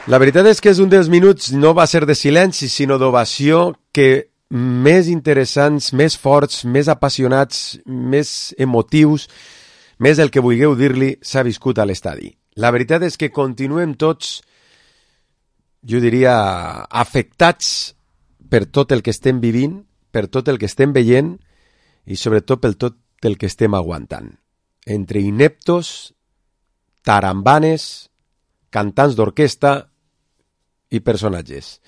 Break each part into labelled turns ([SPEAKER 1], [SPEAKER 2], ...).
[SPEAKER 1] La veritat és que és un dels minuts, no va ser de silenci, sinó d'ovació, que més interessants, més forts, més apassionats, més emotius, més el que vulgueu dir-li, s'ha viscut a l'estadi. La veritat és que continuem tots, jo diria, afectats per tot el que estem vivint, per tot el que estem veient i sobretot per tot el que estem aguantant. Entre ineptos, tarambanes, cantants d'orquestra i personatges.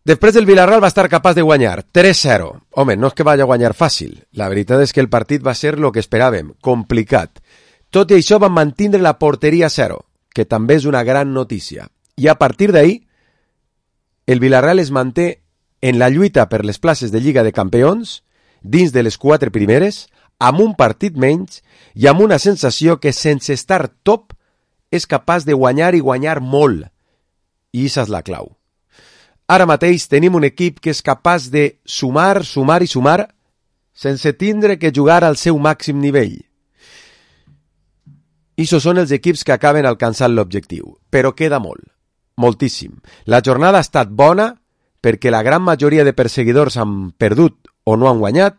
[SPEAKER 1] Després el Villarreal va estar capaç de guanyar 3-0. Home, no és que vagi a guanyar fàcil. La veritat és que el partit va ser el que esperàvem, complicat. Tot i això van mantindre la porteria a 0, que també és una gran notícia. I a partir d'ahir, el Villarreal es manté en la lluita per les places de Lliga de Campions, dins de les 4 primeres, amb un partit menys i amb una sensació que sense estar top és capaç de guanyar i guanyar molt. I això és la clau. Ara mateix tenim un equip que és capaç de sumar, sumar i sumar sense tindre que jugar al seu màxim nivell. I això són els equips que acaben alcançant l'objectiu. Però queda molt, moltíssim. La jornada ha estat bona perquè la gran majoria de perseguidors han perdut o no han guanyat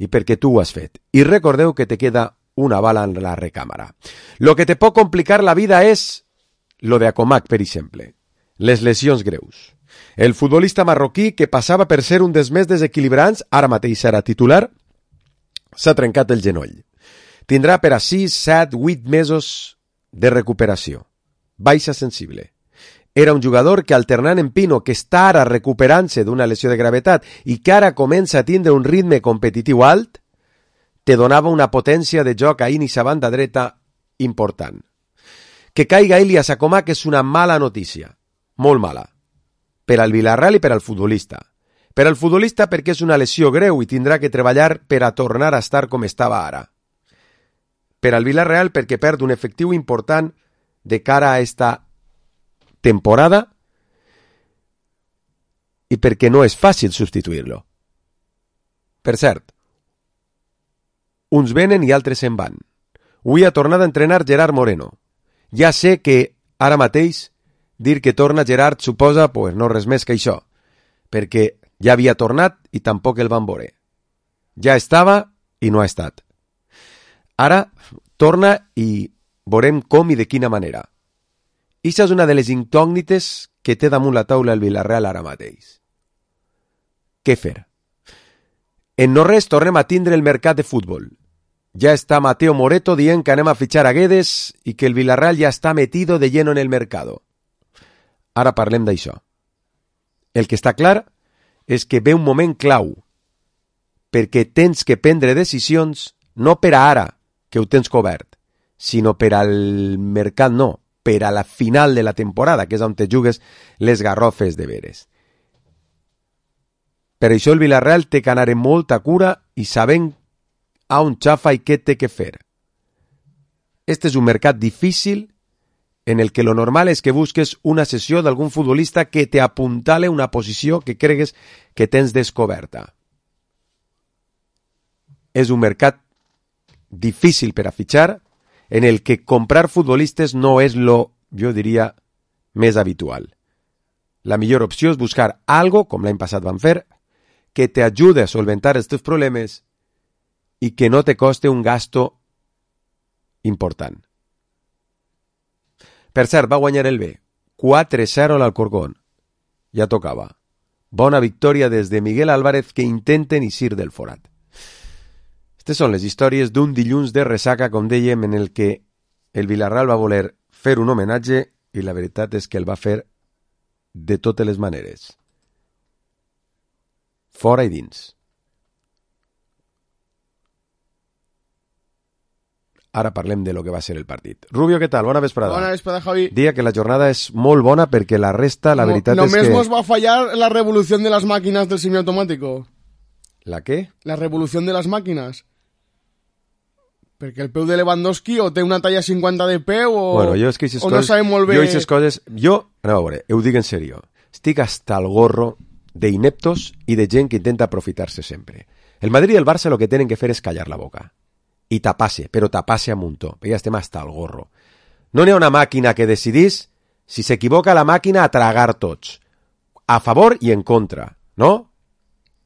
[SPEAKER 1] i perquè tu ho has fet. I recordeu que te queda una bala en la recàmera. Lo que te pot complicar la vida és lo de Acomac, per exemple. Les lesions greus. El futbolista marroquí, que passava per ser un dels més desequilibrants, ara mateix serà titular, s'ha trencat el genoll. Tindrà per a 6, 7, 8 mesos de recuperació. Baixa sensible. Era un jugador que, alternant en Pino, que està ara recuperant-se d'una lesió de gravetat i que ara comença a tindre un ritme competitiu alt, te donava una potència de joc a Inis a banda dreta important. Que caiga Ilias Acomac és una mala notícia, molt mala, per al Villarreal i per al futbolista. Per al futbolista perquè és una lesió greu i tindrà que treballar per a tornar a estar com estava ara. Per al Villarreal perquè perd un efectiu important de cara a esta temporada i perquè no és fàcil substituir-lo. Per cert, uns venen i altres se'n van. Avui ha tornat a entrenar Gerard Moreno. Ja sé que ara mateix dir que torna Gerard suposa pues, no res més que això, perquè ja havia tornat i tampoc el van veure. Ja estava i no ha estat. Ara torna i veurem com i de quina manera. Ixa és una de les incògnites que té damunt la taula el Villarreal ara mateix. Què fer? En no res tornem a tindre el mercat de futbol. Ja està Mateo Moreto dient que anem a fitxar a Guedes i que el Villarreal ja està metido de lleno en el mercado. Ara parlem d'això. El que està clar és que ve un moment clau, perquè tens que prendre decisions no per a ara, que ho tens cobert, sinó per al mercat no, per a la final de la temporada, que és on te jugues les garrofes de veres. Per això el Villarreal té que anar amb molta cura i sabent a on xafa i què té que fer. Este és un mercat difícil en el que lo normal és que busques una sessió d'algun futbolista que te apuntale una posició que cregues que tens descoberta. És un mercat difícil per a fitxar, en el que comprar futbolistes no és lo, jo diria, més habitual. La millor opció és buscar algo, com l'any passat van fer, que te ajude a solventar els teus problemes i que no te coste un gasto important. Per cert, va guanyar el B. 4-0 a l'Alcorcón. Ja tocava. Bona victòria des de Miguel Álvarez que intenten eixir del forat. Aquestes són les històries d'un dilluns de ressaca, com dèiem, en el que el Villarreal va voler fer un homenatge i la veritat és que el va fer de totes les maneres. Fora i dins. Ara parlem de lo que va ser el partit. Rubio, què tal? Bona vesprada.
[SPEAKER 2] Bona vesprada, Javi.
[SPEAKER 1] Dia que la jornada és molt bona perquè la resta, la veritat és que...
[SPEAKER 2] Només nos va fallar la revolución de las máquinas del semiautomático.
[SPEAKER 1] ¿La qué?
[SPEAKER 2] La revolución de las máquinas. Perquè el peu de Lewandowski o té una talla 50 de peu o,
[SPEAKER 1] bueno, jo és que
[SPEAKER 2] o no sabem molt bé...
[SPEAKER 1] Jo aquestes coses... Anem a veure, ho dic en sèrio. Estic hasta el gorro d'ineptos i de gent que intenta aprofitar-se sempre. El Madrid i el Barça lo que tenen que fer és callar la boca. I tapar-se, però tapar-se a muntó. Ja estem hasta el gorro. No n'hi ha una màquina que decidís Si s'equivoca la màquina, a tragar tots. A favor i en contra, no?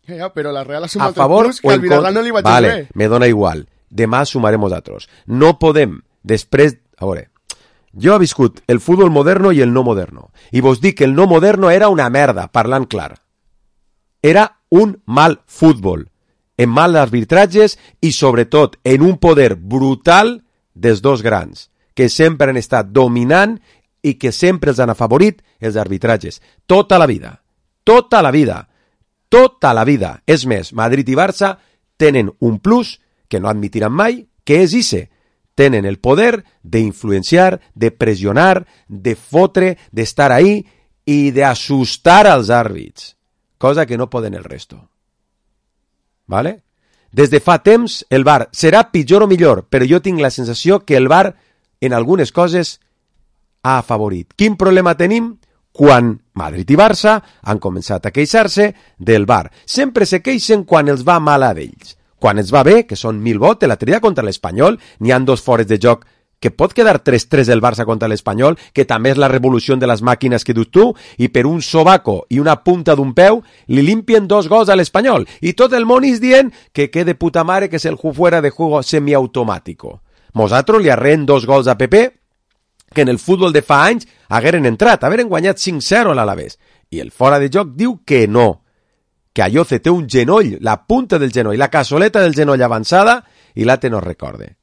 [SPEAKER 2] Ja, però la Real ha
[SPEAKER 1] A
[SPEAKER 2] sumat
[SPEAKER 1] favor
[SPEAKER 2] el plus
[SPEAKER 1] o
[SPEAKER 2] que
[SPEAKER 1] en
[SPEAKER 2] al Villarreal
[SPEAKER 1] contra.
[SPEAKER 2] no li vaig
[SPEAKER 1] Vale,
[SPEAKER 2] bé.
[SPEAKER 1] me dona igual. Demà sumarem nosaltres. No podem, després... A veure, jo he viscut el futbol moderno i el no moderno. I vos dic que el no moderno era una merda, parlant clar. Era un mal futbol, en mal arbitratges i, sobretot, en un poder brutal dels dos grans, que sempre han estat dominant i que sempre els han afavorit els arbitratges. Tota la vida. Tota la vida. Tota la vida. És més, Madrid i Barça tenen un plus que no admitiran mai, que és ese. Tenen el poder d'influenciar, de pressionar, de fotre, d'estar ahí i d'assustar als àrbits, cosa que no poden el resto. ¿Vale? Des de fa temps el VAR serà pitjor o millor, però jo tinc la sensació que el VAR en algunes coses ha afavorit. Quin problema tenim? Quan Madrid i Barça han començat a queixar-se del VAR. Sempre se queixen quan els va mal a ells. Quan ens va bé, que són 1000 vots, l'altre dia contra l'Espanyol, n'hi han 2 fores de joc, que pot quedar 3-3 el Barça contra l'Espanyol, que també és la revolució de les màquines que dius tu, i per un sobaco i una punta d'un peu li limpien 2 gols a l'Espanyol. I tot el món és dient que de puta mare, que és el fuera de juego semiautomàtico. Nosaltres li arreen 2 gols a PP, que en el futbol de fa anys hagueren entrat, hagueren guanyat 5-0 a l'Alavés. I el fora de joc diu que no, que Ayoce té un genoll, la punta del genoll, la cassoleta del genoll avançada, i l'altre no recorde.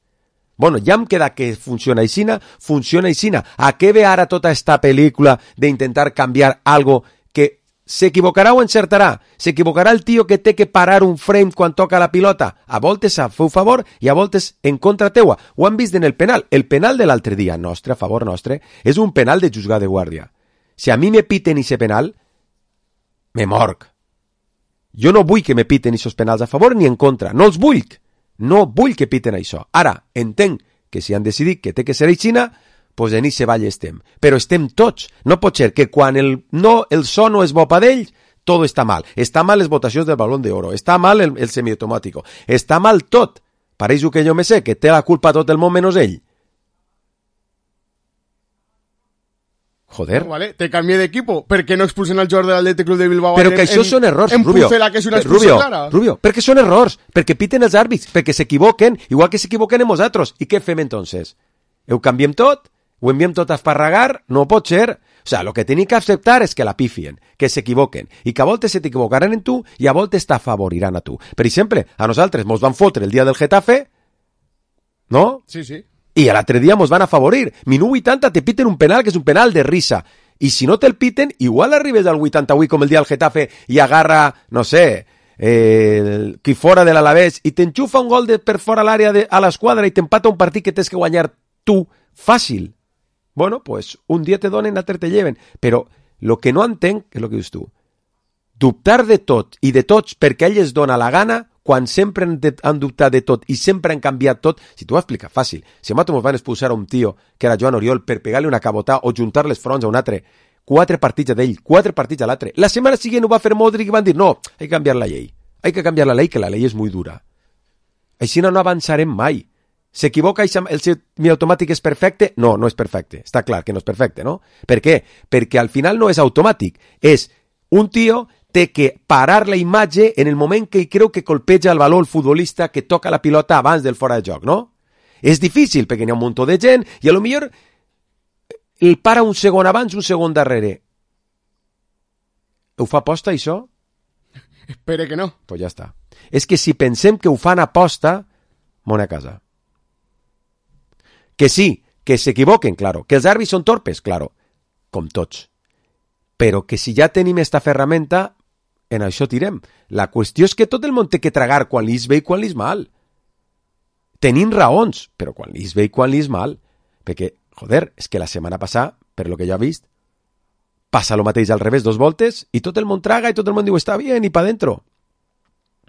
[SPEAKER 1] Bueno, ja em queda que funciona aixina. A què ve ara tota esta pel·lícula d'intentar canviar algo que s'equivocarà o encertarà? S'equivocarà el tio que té que parar un frame quan toca la pilota? A voltes a feu favor i a voltes en contra teua. Ho han vist en el penal. El penal de l'altre dia, nostre, a favor nostre, és un penal de juzgar de guàrdia. Si a mi me piten ese penal, me morc. Jo no vull que me piten aquests penals a favor ni en contra. No els vull. No vull que piten això. Ara, entenc que si han decidit que té que ser aixina, pues en ese ball estem. Però estem tots. No pot ser que quan el so no és bo per ells, tot està mal. Està mal les votacions del Balón d'Oro. Està mal el semiautomàtico. Està mal tot. Pareix que jo me sé, que té la culpa tot el món menys ell. Joder.
[SPEAKER 2] Vale, te canvié d'equipo. Per què no expulsen al jugador de l'Atlètic Club de Bilbao?
[SPEAKER 1] Però que això són errors,
[SPEAKER 2] en
[SPEAKER 1] Rubio.
[SPEAKER 2] Pucela, que és una expulsió clara.
[SPEAKER 1] Rubio, perquè són errors, perquè piten els àrbits, perquè s'equivoquen, igual que s'equivoquen en nosaltres. I què fem entonces? Ho canviem tot? Ho enviem tot a esparragar? No pot ser. O sea, lo que tenim que acceptar és que la pifien, que s'equivoquen, i que a voltes se t'equivocaran en tu i a voltes t'afavoriran a tu. Per exemple, a nosaltres mos van fotre el dia del Getafe, no?
[SPEAKER 2] Sí, sí.
[SPEAKER 1] I l'altre dia mos van afavorir. Minut 80 te piten un penal que és un penal de risa. I si no te'l piten, igual arribes al 88 com el dia del Getafe i agarra, no sé, qui fora de l'Alavés i t'enxufa un gol per fora l'àrea a l'esquadra i t'empata un partit que tens que guanyar tu fàcil. Bueno, pues un dia te donen, l'altre te lleven. Però el que no entenc és el que dius tu. Dubtar de tot i de tots perquè a ell es dona la gana quan sempre han dubtat de tot i sempre han canviat tot. Si t'ho explica fàcil. Si a nosaltres ens van expulsar a un tio que era Joan Oriol per pegar-li una cabotà o juntar les fronts a un altre, 4 partits d'ell, 4 partits a l'altre. La setmana següent ho va fer Modric i van dir no, hay que cambiar la llei. Hay que cambiar la ley, que la ley és muy dura. Així no avançarem mai. S'equivoca i el semiautomàtic és perfecte? No, no és perfecte. Està clar que no és perfecte, no? Per què? Perquè al final no és automàtic. És un tio té que parar la imatge en el moment que creu que colpeja el valor el futbolista que toca la pilota abans del fora de joc, no? És difícil perquè n'hi ha un munt de gent i a lo millor el para un segon abans, un segon darrere. Ho fa aposta, això?
[SPEAKER 2] Espere que no.
[SPEAKER 1] Pues ja està. És que si pensem que ho fan aposta, mona a casa. Que sí, que s'equivoquen, claro. Que els àrbits són torpes, claro. Com tots. Però que si ja tenim esta ferramenta, en això tirem. La qüestió és que tot el món té que tragar quan li és bé i quan li és mal. Tenim raons, però quan li és bé i quan li és mal. Perquè, joder, és que la setmana passada, per lo que jo he vist, passa lo mateix al revés 2 voltes i tot el món traga i tot el món diu està bien i pa dentro.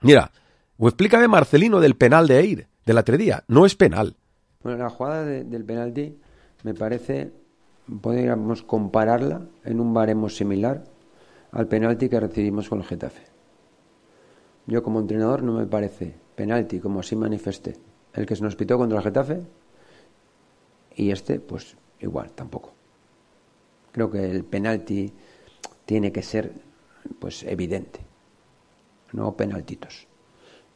[SPEAKER 1] Mira, ho explica bé Marcelino del penal de Eir, de l'altre dia. No és penal.
[SPEAKER 3] Bueno, la jugada del penalti me parece, podríamos compararla en un baremo similar al penalti que recibimos con el Getafe. Yo como entrenador no me parece penalti, como así manifesté, el que se nos pitó contra el Getafe, y este pues igual, tampoco. Creo que el penalti tiene que ser pues evidente, no penaltitos.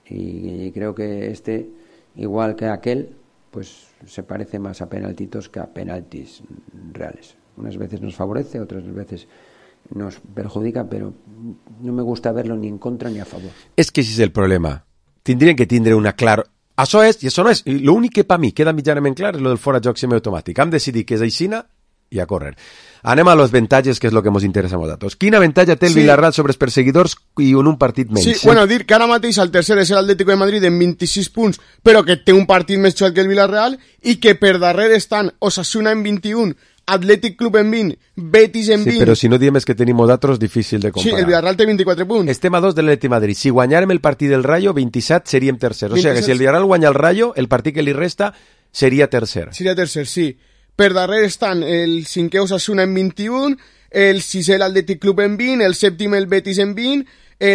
[SPEAKER 3] Y creo que igual que aquel, pues se parece más a penaltitos que a penaltis reales. Unas veces nos favorece, otras veces nos perjudica, pero no me gusta verlo ni en contra ni a favor.
[SPEAKER 1] És que així és el problema. Tindrien que tindre una clara... Això és i això no és. L'únic que per mi queda mitjanament clar és el del fora de joc semiautomàtic. Hem decidit que és aixina i a córrer. Anem a los avantatges, que és el que ens interessa a nosaltres. Quin avantatge té el Villarreal sobre els perseguidors i en un partit menys?
[SPEAKER 2] Sí, bueno, dir que ara mateix el tercer és l'Atlético de Madrid en 26 punts, però que té un partit més xuat que el Villarreal, i que per darrere estan Osasuna en 21, Athletic Club en 20, Betis en 20...
[SPEAKER 1] Sí, però si no diem és que tenim nosaltres, difícil de comparar.
[SPEAKER 2] Sí, el Villarreal té 24 punts.
[SPEAKER 1] Estem a 2 de l'Atleti Madrid. Si guanyàrem el partit del Rayo, 27 seríem tercers. O sigui que si el Villarreal guanya el Rayo, el partit que li resta seria tercer.
[SPEAKER 2] Seria tercer, sí. Per darrere estan el cinquè Osasuna en 21, el sisè l'Athletic Club en 20, el sèptim el Betis en 20,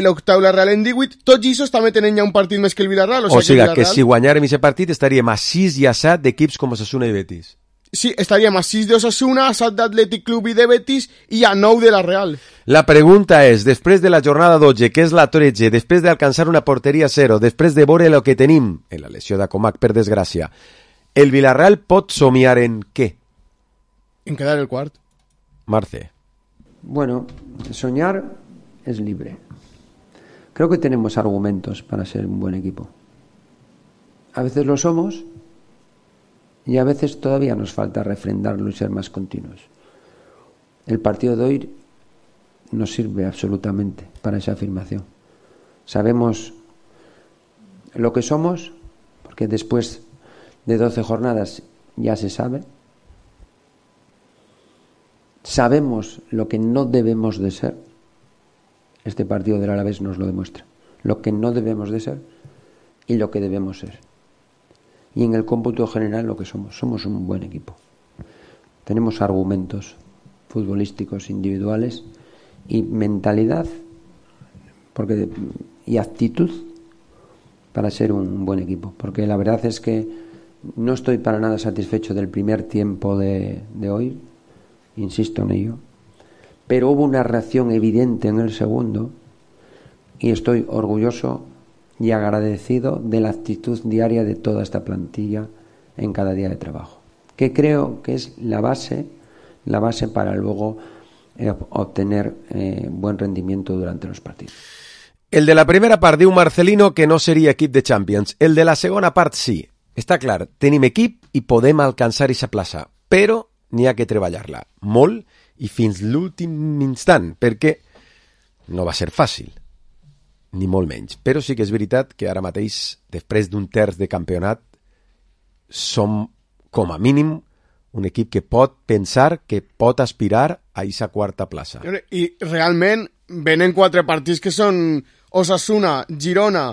[SPEAKER 2] l'octau la Real en 18, tots aquests també tenen ja un partit més que el Villarreal.
[SPEAKER 1] O sigui que si guanyàrem aquest partit estaríem a 6 i a 7 d'equips com Osasuna i Betis.
[SPEAKER 2] Sí, estaríem a 6 d'Osasuna, a 7 d'Atlètic Club i de Betis i a 9 de la Real.
[SPEAKER 1] La pregunta és, després de la jornada 12, que és la 13, després d'alcançar una porteria 0, després de veure el que tenim, en la lesió d'Acomac, per desgràcia, el Villarreal pot somiar en què?
[SPEAKER 2] En quedar el quart.
[SPEAKER 1] Marce.
[SPEAKER 3] Bueno, soñar es libre. Creo que tenemos argumentos para ser un buen equipo. A veces lo somos y a veces todavía nos falta refrendarlo y ser más continuos. El partido de hoy nos sirve absolutamente para esa afirmación. Sabemos lo que somos, porque después de 12 jornadas ya se sabe. Sabemos lo que no debemos de ser. Este partido del Alavés nos lo demuestra. Lo que no debemos de ser y lo que debemos ser. Y en el cómputo general lo que somos. Somos un buen equipo. Tenemos argumentos futbolísticos individuales y mentalidad y actitud para ser un buen equipo. Porque la verdad es que no estoy para nada satisfecho del primer tiempo de hoy. Insisto en ello. Pero hubo una reacción evidente en el segundo y estoy orgulloso y agradecido de la actitud diaria de toda esta plantilla en cada día de trabajo, que creo que es la base para luego obtener buen rendimiento durante los partidos.
[SPEAKER 1] El de la primera part diu Marcelino que no seria equip de Champions. El de la segona part sí. Està clar, tenim equip i podem alcançar aquesta plaça, però n'hi ha que treballar-la molt i fins l'últim instant, perquè no va ser fàcil, ni molt menys. Però sí que és veritat que ara mateix, després d'un terç de campionat, som, com a mínim, un equip que pot pensar, que pot aspirar a aquesta quarta plaça.
[SPEAKER 2] I realment venen 4 partits que són Osasuna, Girona,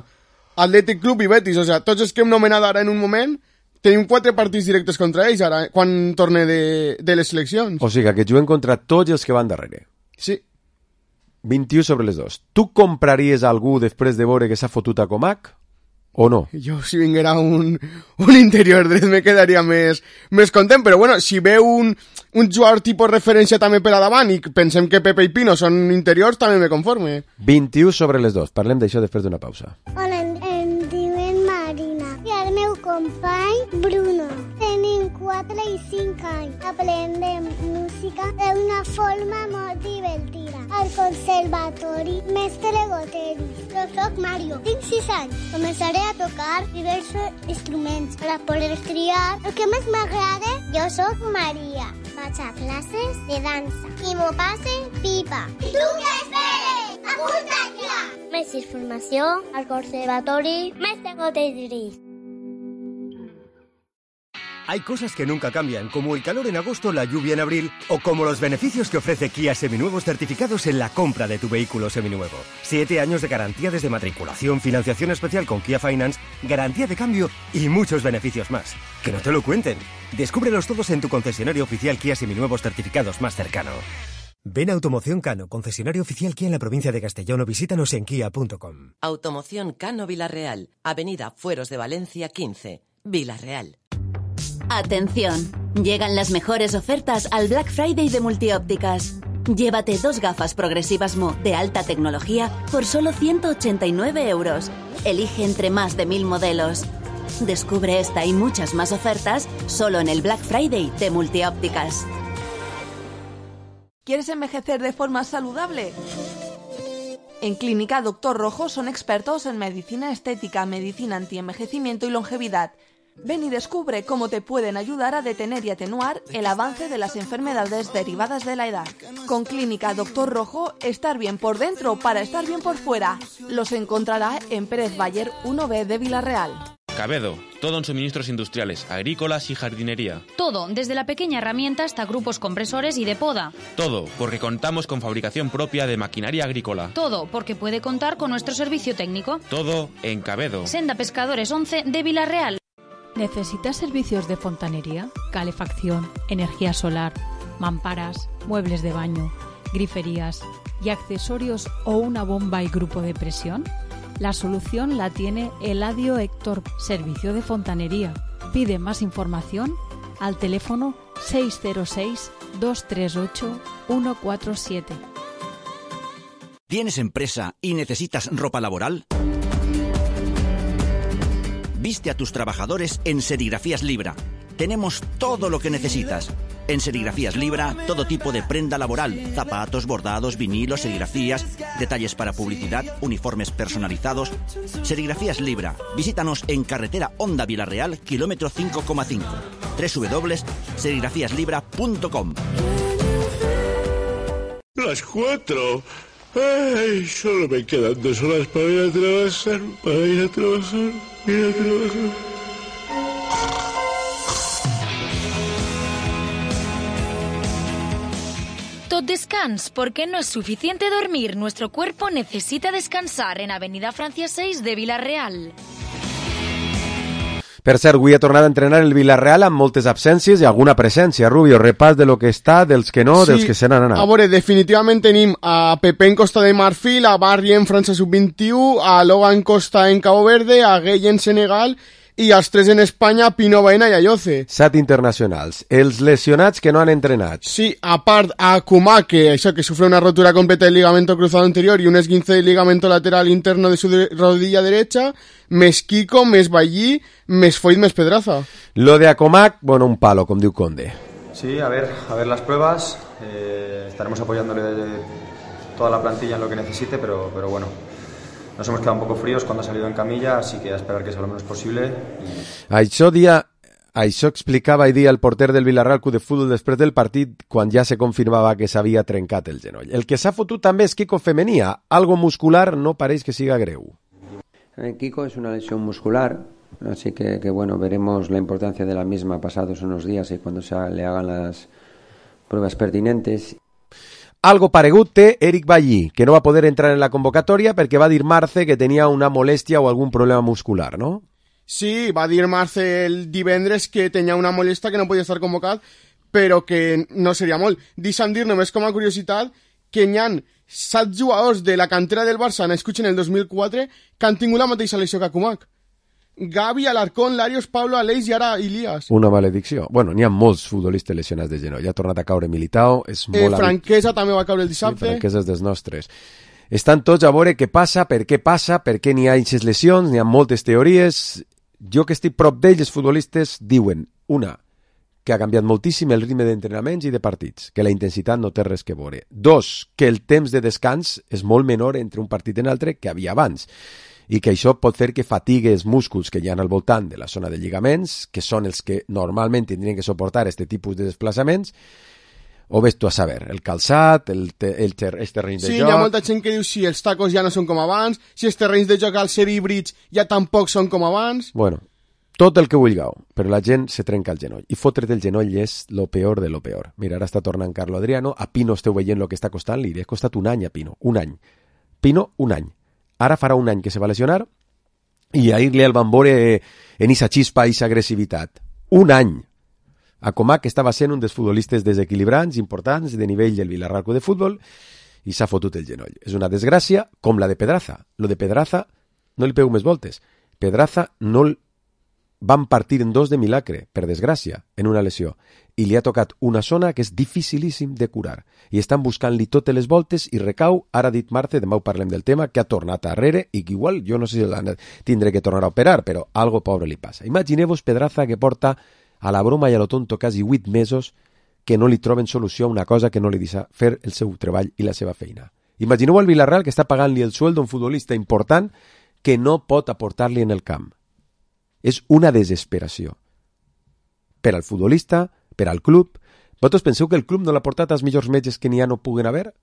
[SPEAKER 2] Athletic Club i Betis. O sigui, tots els que hem nomenat ara en un moment, tenim 4 partits directes contra ells ara, quan torne de les seleccions.
[SPEAKER 1] O sigui, que juguen contra tots els que van darrere.
[SPEAKER 2] Sí.
[SPEAKER 1] 21 sobre les 2. Tu compraries algú després de veure que s'ha fotut a Comac? O no?
[SPEAKER 2] Jo, si vinguera un interior dret, me quedaria més content, però bueno, si veu un jugador tipus referència també per a davant i pensem que Pepe i Pino són interiors, també me conforme.
[SPEAKER 1] 21 sobre les 2. Parlem d'això després d'una pausa.
[SPEAKER 4] Hola, em diuen Marina i el meu company Bruno. Tenim 4 i 5 anys. Aprendem música d'una forma molt divertida. Al conservatori Mestre Goteris. Jo soc Mario, tinc 6 anys. Començaré a tocar diversos instruments per a poder triar el que més m'agrada. Jo soc Maria. Vaig a classes de dansa i m'ho passe pipa. I tu què esperes? Apunta't ja! Més informació al conservatori Mestre Goteris.
[SPEAKER 5] Hay cosas que nunca cambian, como el calor en agosto, la lluvia en abril, o como los beneficios que ofrece Kia Seminuevos certificados en la compra de tu vehículo seminuevo. 7 años de garantía desde matriculación, financiación especial con Kia Finance, garantía de cambio y muchos beneficios más. Que no te lo cuenten. Descúbrelos todos en tu concesionario oficial Kia Seminuevos certificados más cercano. Ven a Automoción Cano, concesionario oficial Kia en la provincia de Castellón, o visítanos en kia.com.
[SPEAKER 6] Automoción Cano Villarreal, Avenida Fueros de Valencia 15, Villarreal.
[SPEAKER 7] Atención.
[SPEAKER 6] Llegan las mejores ofertas al Black Friday de Multiópticas. Llévate 2 gafas progresivas Mu de alta tecnología por solo 189 euros. Elige entre más de 1000 modelos. Descubre esta y muchas más ofertas solo en el Black Friday de Multiópticas.
[SPEAKER 7] ¿Quieres envejecer de forma saludable? En Clínica Doctor Rojo son expertos en medicina estética, medicina antienvejecimiento y longevidad. Ven y descubre cómo te pueden ayudar a detener y atenuar el avance de las enfermedades derivadas de la edad. Con Clínica Doctor Rojo, estar bien por dentro para estar bien por fuera. Los encontrará en Pérez Bayer 1B de Villarreal.
[SPEAKER 8] Cabedo, todo en suministros industriales, agrícolas y jardinería.
[SPEAKER 9] Todo, desde la pequeña herramienta hasta grupos compresores y de poda.
[SPEAKER 8] Todo, porque contamos con fabricación propia de maquinaria agrícola.
[SPEAKER 9] Todo, porque puede contar con nuestro servicio técnico.
[SPEAKER 8] Todo en Cabedo.
[SPEAKER 9] Senda Pescadores 11 de Villarreal.
[SPEAKER 10] ¿Necesitas servicios de fontanería, calefacción, energía solar, mamparas, muebles de baño, griferías y accesorios o una bomba y grupo de presión? La solución la tiene Eladio Héctor, servicio de fontanería. Pide más información al teléfono 606-238-147.
[SPEAKER 11] ¿Tienes empresa y necesitas ropa laboral? Viste a tus trabajadores en Serigrafías Libra. Tenemos todo lo que necesitas. En Serigrafías Libra, todo tipo de prenda laboral, zapatos, bordados, vinilos, serigrafías, detalles para publicidad, uniformes personalizados. Serigrafías Libra. Visítanos en carretera Honda Villarreal, kilómetro 5,5. www.serigrafíaslibra.com.
[SPEAKER 12] Las 4. Ay, solo me quedan 2 horas para ir a trabajar,
[SPEAKER 9] Tot descans, porque no es suficiente dormir. Nuestro cuerpo necesita descansar en Avenida Francia 6 de Villarreal.
[SPEAKER 1] Per cert, avui ha tornat a entrenar el Villarreal amb moltes absències i alguna presència. Rubio, repàs de lo que està, dels que no, dels que se n'han anat.
[SPEAKER 2] A veure, definitivament tenim a Pepe en Costa de Marfil, a Barri en França Sub-21, a Logan Costa en Cabo Verde, a Gueye en Senegal i els 3 en Espanya, Pino Baena i Ayoce.
[SPEAKER 1] 7 internacionals. Els lesionats que no han entrenat.
[SPEAKER 2] Sí, a part a Kumá, que sufre una rotura completa del ligamento cruzado anterior y un esguince del ligamento lateral interno de su rodilla derecha, més Kiko, més Ballí, més Foyt, més Pedraza.
[SPEAKER 1] Lo de Acomac, bueno, un palo, com diu Conde.
[SPEAKER 13] Sí, a ver las pruebas. Estaremos apoyándole toda la plantilla en lo que necesite, pero bueno. Nos hemos quedado un poco fríos cuando ha salido en camilla, así que a esperar que sea lo menos posible.
[SPEAKER 1] Això explicava ahir dia el porter del Villarreal Club de Futbol després del partit, quan ja se confirmava que s'havia trencat el genoll. El que s'ha fotut també és Kiko Femenia. Algo muscular no pareix que siga greu.
[SPEAKER 3] Kiko es una lesión muscular, así que bueno, veremos la importancia de la misma pasados unos días y cuando le hagan las pruebas pertinentes.
[SPEAKER 1] Algo paregut té Eric Ballí, que no va poder entrar en la convocatòria perquè va dir Marce que tenia una molèstia o algun problema muscular, no?
[SPEAKER 2] Sí, va dir Marce el divendres que tenia una molèstia que no podia estar convocat, però que no seria molt. Deixa'm dir només com a curiositat que hi ha 7 jugadors de la cantera del Barça nascuts en el 2004 que han tingut la mateixa lesió que Akumak. Gavi, Alarcón, Larios, Pablo, Aleix i ara Ilias.
[SPEAKER 1] Una maledicció. Bueno, n'hi ha molts futbolistes lesionats de genoll. Ja ha tornat a caure Militao. És molt
[SPEAKER 2] Franquesa també va caure el dissabte.
[SPEAKER 1] Sí, Franquesa és dels nostres. Estan tots a veure què passa, per què n'hi ha aquestes lesions, n'hi ha moltes teories. Jo que estic prop d'ells, els futbolistes diuen, una, que ha canviat moltíssim el ritme d'entrenaments i de partits, que la intensitat no té res que veure. 2, que el temps de descans és molt menor entre un partit i l'altre que havia abans, i que això pot fer que fatigui els músculs que hi ha al voltant de la zona de lligaments, que són els que normalment tindrien que suportar aquest tipus de desplaçaments, o ves tu a saber, el calçat, els terrenys de joc...
[SPEAKER 2] Sí, hi ha molta gent que diu si els tacos ja no són com abans, si els terrenys de joc al ser híbrids ja tampoc són com abans...
[SPEAKER 1] Bueno, tot el que vulgueu, però la gent se trenca el genoll. I fotre't el genoll és lo peor de lo peor. Mira, ara està tornant Carlo Adriano, a Pino esteu veient el que està costant, li ha costat un any a Pino, un any. Pino, un any. Ara farà un any que se va lesionar i ahir-li el van veure en esa xispa, esa agressivitat. Un any. Acomac estava sent un dels futbolistes desequilibrants, importants, de nivell del Villarreal Club de Futbol, i s'ha fotut el genoll. És una desgràcia, com la de Pedraza. Lo de Pedraza, no li pego més voltes. Pedraza no van partir en 2 de milagre, per desgràcia, en una lesió. i li ha tocat una zona que és dificilíssim de curar. I estan buscant-li totes les voltes i recau, ara ha dit Marce, demà ho parlem del tema, que ha tornat arrere i que igual, jo no sé si tindré que tornar a operar, però algo pobre li passa. Imagineu-vos Pedraza que porta a la broma i a lo tonto quasi 8 mesos que no li troben solució a una cosa que no li deixa fer el seu treball i la seva feina. Imagineu el Villarreal que està pagant-li el sueldo a un futbolista important que no pot aportar-li en el camp. És una desesperació. Per al futbolista, per al club. Vosaltres penseu que el club no l'ha portat als millors metges que n'hi ha no puguen haver?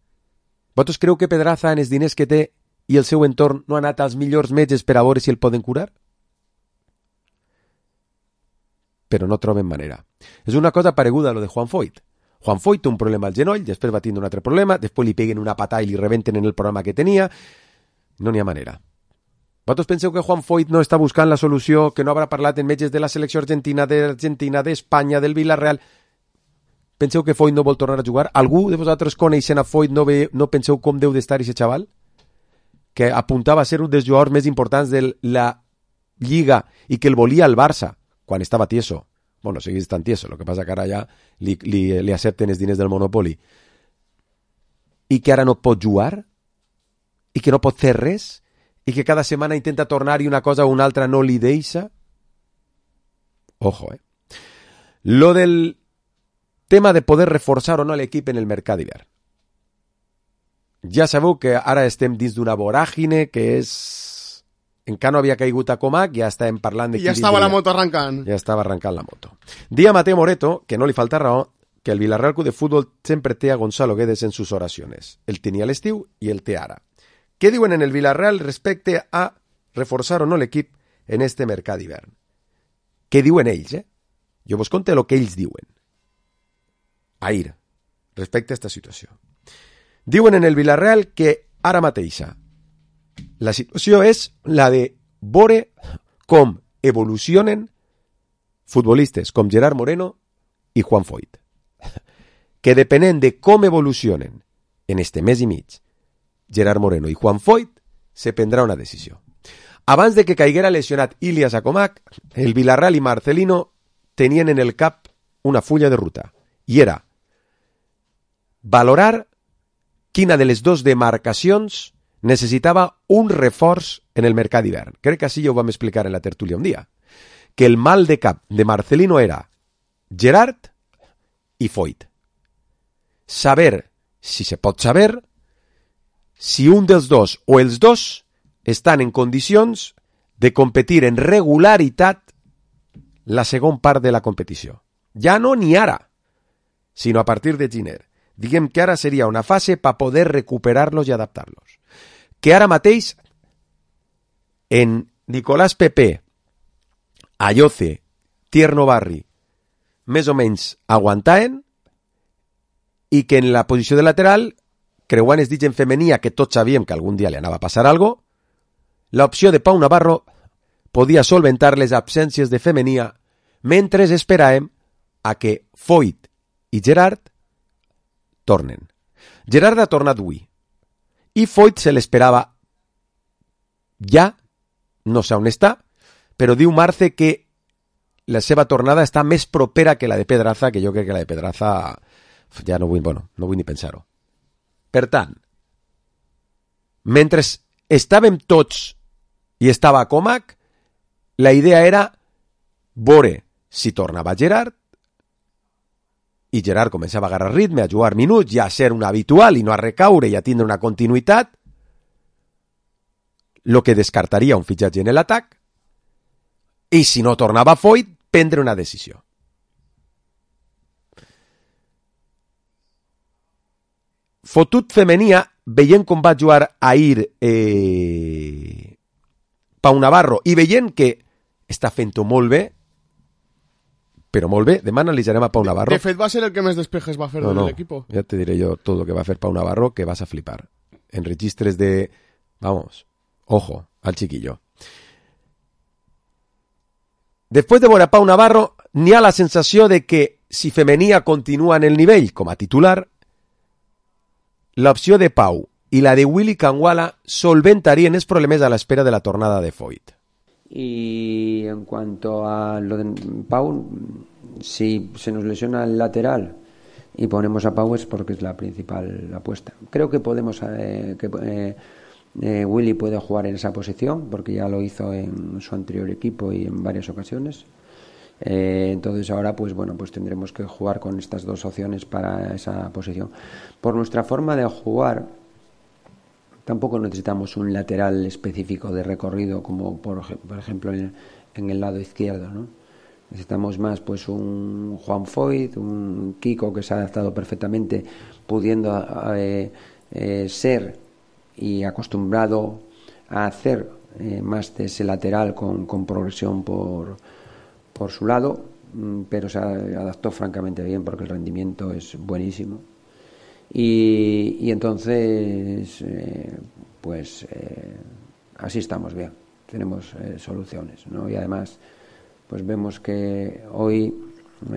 [SPEAKER 1] Vosaltres creu que Pedraza, en els diners que té i el seu entorn, no ha anat als millors metges per a veure si el poden curar? Però no troben manera. És una cosa pareguda a lo de Juan Foyth. Juan Foyth té un problema al genoll, després va tindre un altre problema, després li peguen una patada i li rebenten en el programa que tenia. No n'hi ha manera. Vosaltres penseu que Juan Foyth no està buscant la solució, que no haurà parlat en metges de la selecció argentina, d'Espanya, del Villarreal? Penseu que Foyth no vol tornar a jugar? Algú de vosaltres coneixent a Foyth no penseu com deu d'estar aquest xaval? Que apuntava a ser un dels jugadors més importants de la Lliga i que el volia el Barça quan estava tieso. Bueno, seguís tan tieso, el que passa que ara ja li accepten els diners del Monopoli. I que ara no pot jugar? I que no pot fer res? I que cada setmana intenta tornar i una cosa o una altra no li deixa? Ojo, Lo del tema de poder reforçar o no l'equip en el mercat d'hivern. Ja sabeu que ara estem dins d'una voràgine que és... Encara no havia caigut a Comac, ja estàvem parlant de...
[SPEAKER 2] I ja estava la moto arrancant.
[SPEAKER 1] Ja estava arrancant la moto. Dia Mateo Moreto, que no li falta raó, que el Villarreal Club de Fútbol sempre té a Gonzalo Guedes en sus oraciones. El tenia a l'estiu i el té ara. Què diuen en el Villarreal respecte a reforçar o no l'equip en este mercat d'hivern? Què diuen ells, Jo vos conto el que ells diuen. Ahir, respecte a aquesta situació. Diuen en el Villarreal que ara mateixa la situació és la de veure com evolucionen futbolistes com Gerard Moreno i Juan Foyth. Que depenent de com evolucionen en este mes i mig Gerard Moreno i Juan Foyth, se prendrà una decisió. Abans de que caiguera lesionat Ilias Acomac, el Villarreal i Marcelino tenien en el cap una fulla de ruta, i era valorar quina de les dues demarcacions necessitava un reforç en el mercat d'hivern. Crec que així ja ho vam explicar en la tertúlia un dia. Que el mal de cap de Marcelino era Gerard i Foyth. Saber, si se pot saber, si un dels dos o els dos estan en condicions de competir en regularitat la segona part de la competició. Ja no ni ara, sinó a partir de gener. Diguem que ara seria una fase per poder recuperar-los i adaptar-los. Que ara mateix en Nicolás Pepe, Ayoce, Tierno Barri, més o menys aguantaven, i que en la posició de lateral, creuant els dits en femenia, que tots sabíem que algun dia li anava a passar algo, l'opció de Pau Navarro podia solventar les absències de femenia mentre esperàvem a que Foyth i Gerard tornen. Gerard ha tornat avui i Foyth se l'esperava ja, no sé on està, però diu Marce que la seva tornada està més propera que la de Pedraza, que jo crec que la de Pedraza ja no vull ni pensar-ho. Per tant, mentre estàvem tots i estava a Comac, la idea era veure si tornava Gerard, i Gerard començava a agarrar ritme, a jugar minuts, ja a ser un habitual i no a recaure i a tindre una continuïtat, lo que descartaria un fitxatge en l'atac, i si no tornava Foyth, prendre una decisió. Fotut femenia, veient com va jugar ahir Pau Navarro i veient que està fent-ho molt bé, però molt bé, demà analitzarem a Pau Navarro.
[SPEAKER 2] De fet, va ser el que més despejes va fer de l'equip.
[SPEAKER 1] Ja te diré jo tot el que va fer Pau Navarro, que vas a flipar. En registres de... Vamos, ojo, al chiquillo. Després de veure a Pau Navarro, n'hi ha la sensació de que si Femenia continua en el nivell com a titular, l'opció de Pau i la de Willy Canguala solventarien els problemes a l'espera de la tornada de Foyth.
[SPEAKER 3] Y en cuanto a lo de Pau, Si se nos lesiona el lateral y ponemos a Pau, es porque es la principal apuesta. Creo que podemos Willy puede jugar en esa posición porque ya lo hizo en su anterior equipo y en varias ocasiones. Entonces ahora pues tendremos que jugar con estas dos opciones para esa posición. Por nuestra forma de jugar tampoco necesitamos un lateral específico de recorrido como por ejemplo en el lado izquierdo, ¿no? Necesitamos más pues un Juan Foyth, un Kiko que se ha adaptado perfectamente pudiendo ser y acostumbrado a hacer más de ese lateral con progresión por su lado, pero se adaptó francamente bien porque el rendimiento es buenísimo y entonces así estamos bien, tenemos soluciones, ¿no? Y además pues vemos que hoy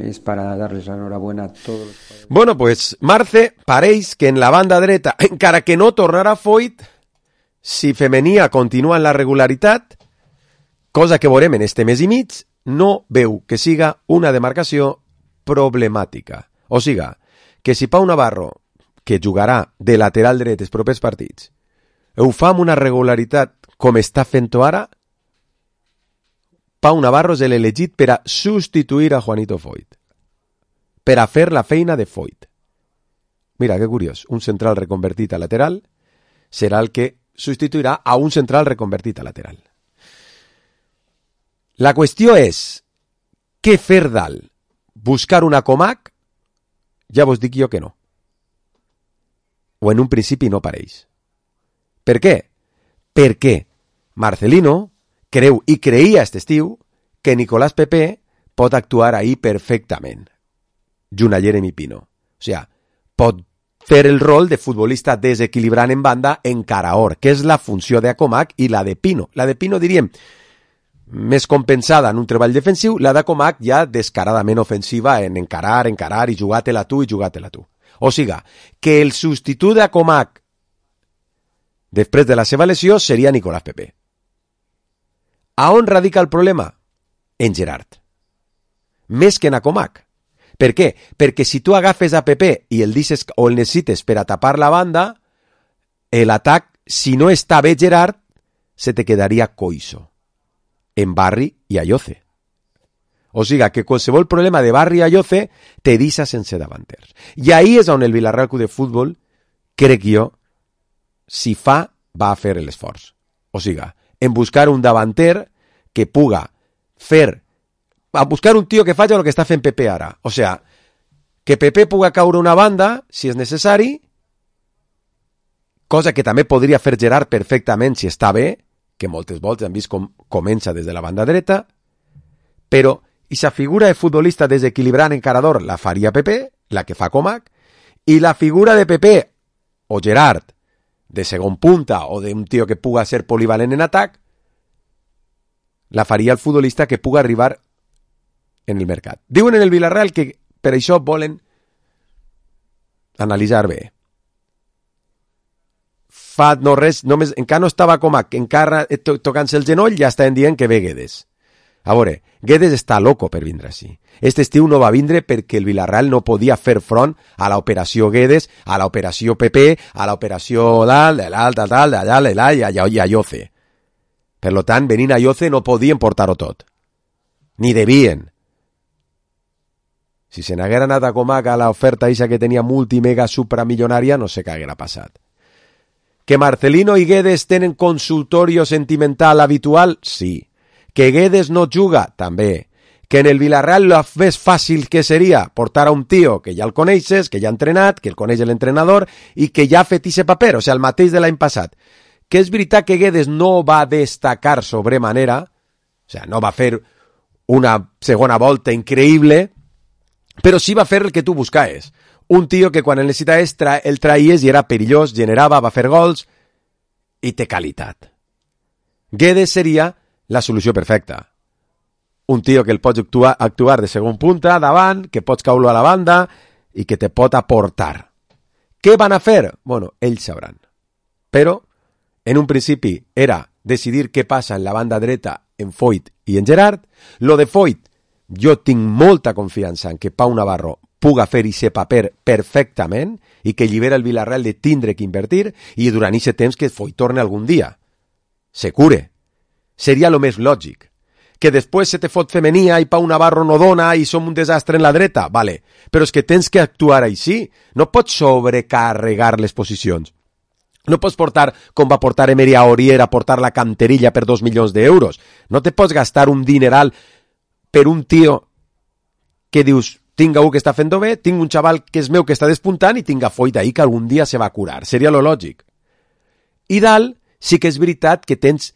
[SPEAKER 3] es para darles la enhorabuena a todos los jugadores.
[SPEAKER 1] Bueno, pues Marce, pareix que en la banda dreta, encara que no tornarà Foyth, si Femenia continua en la regularitat, cosa que veurem en este mes i mig, no veu que siga una demarcació problemàtica. O siga, que si Pau Navarro, que jugarà de lateral dret els propers partits, ho fa amb una regularitat com està fent-ho ara, Pau Navarro és l'elegit per a substituir a Juanito Foyth, per a fer la feina de Foyth. Mira, que curiós, un central reconvertit a lateral serà el que substituirà a un central reconvertit a lateral. La qüestió és, què fer dalt? Buscar una Comac? Ja vos dic jo que no. O en un principi no pareix. Per què? Perquè Marcelino creu i creia aquest estiu que Nicolás Pepe pot actuar ahí perfectament. Junt a Jeremy Pino. O sigui, pot fer el rol de futbolista desequilibrant en banda en Caraor, que és la funció de Comac i la de Pino. La de Pino, diríem, més compensada en un treball defensiu, la de Comac ja descaradament ofensiva en encarar i jugar-te-la tu. O sigui, que el substitut de Comac després de la seva lesió seria Nicolás Pepe. A on radica el problema? En Gerard. Més que en Comac. Per què? Perquè si tu agafes a Pepe i el deixes o el necessites per a tapar la banda, l'atac, si no està bé Gerard, se te quedaria coixo. En Barri i Ayoce. O sigui, que qualsevol problema de Barri i Ayoce te deixa sense davanters. I ahí és on el Villarreal Club de Futbol, crec jo, si fa, va a fer l'esforç. O sigui, en buscar un davanter que puga fer, a buscar un tio que faci el que està fent Pepe ara. O sigui, que Pepe puga caure una banda, si és necessari, cosa que també podria fer Gerard perfectament si està bé, que moltes voltes han vist com comença des de la banda dreta, però aquesta figura de futbolista desequilibrant encarador la faria Pepe, la que fa Comac, i la figura de Pepe o Gerard de segon punta o d'un tio que puga ser polivalent en atac, la faria el futbolista que puga arribar en el mercat. Diuen en el Villarreal que per això volen analitzar bé. Fa no res, només, encara no estava Comac, encara tocant-se el genoll, ja estaven dient que ve Guedes. A veure, Guedes està loco per vindre així. Este estiu no va vindre perquè el Villarreal no podia fer front a l'operació Guedes, a l'operació Pepe, a l'operació d'allà i Ayoce. Per tant, venint a Ayoce no podien portar-ho tot. Ni devien. Si se n'haguera anat a Comac a l'oferta eixa que tenia multimega supramilionària, no sé què haguera passat. Que Marcelino i Guedes tenen consultorio sentimental habitual? Sí. Que Guedes no juga? També. Que en el Villarreal lo més fàcil que seria portar a un tio que ja el coneixes, que ja ha entrenat, que el coneix l'entrenador i que ja ha fet ese paper, o sigui, el mateix de l'any passat. Que és veritat que Guedes no va destacar sobremanera, o sigui, no va fer una segona volta increïble, però sí va fer el que tu buscaves. Un tio que quan el necessitaves el traies i era perillós, generava, va fer gols i té qualitat. Guedes seria la solució perfecta. Un tio que el pots actuar de segon punta, davant, que pots caure a la banda i que te pot aportar. Què van a fer? Bueno, ells sabran. Però, en un principi, era decidir què passa en la banda dreta en Foyth i en Gerard. Lo de Foyth Jo tinc molta confiança en que Pau Navarro puga fer aquest paper perfectament i que allibera el Villarreal de tindre que invertir i durant aquest temps que Foyt torne algun dia. Se cure. Seria lo més lògic. Que després se te fot femenia i Pau Navarro no dona i som un desastre en la dreta, vale. Però és que tens que actuar així. No pots sobrecarregar les posicions. No pots portar, com va portar Emery a Aurier, a portar la Canterilla per 2 milions d'euros. No te pots gastar un dineral per un tio que dius, tinc algú que està fent bé, tinc un xaval que és meu que està despuntant i tinc a Foyt ahí que algun dia se va curar. Seria lo lògic. I dalt sí que és veritat que tens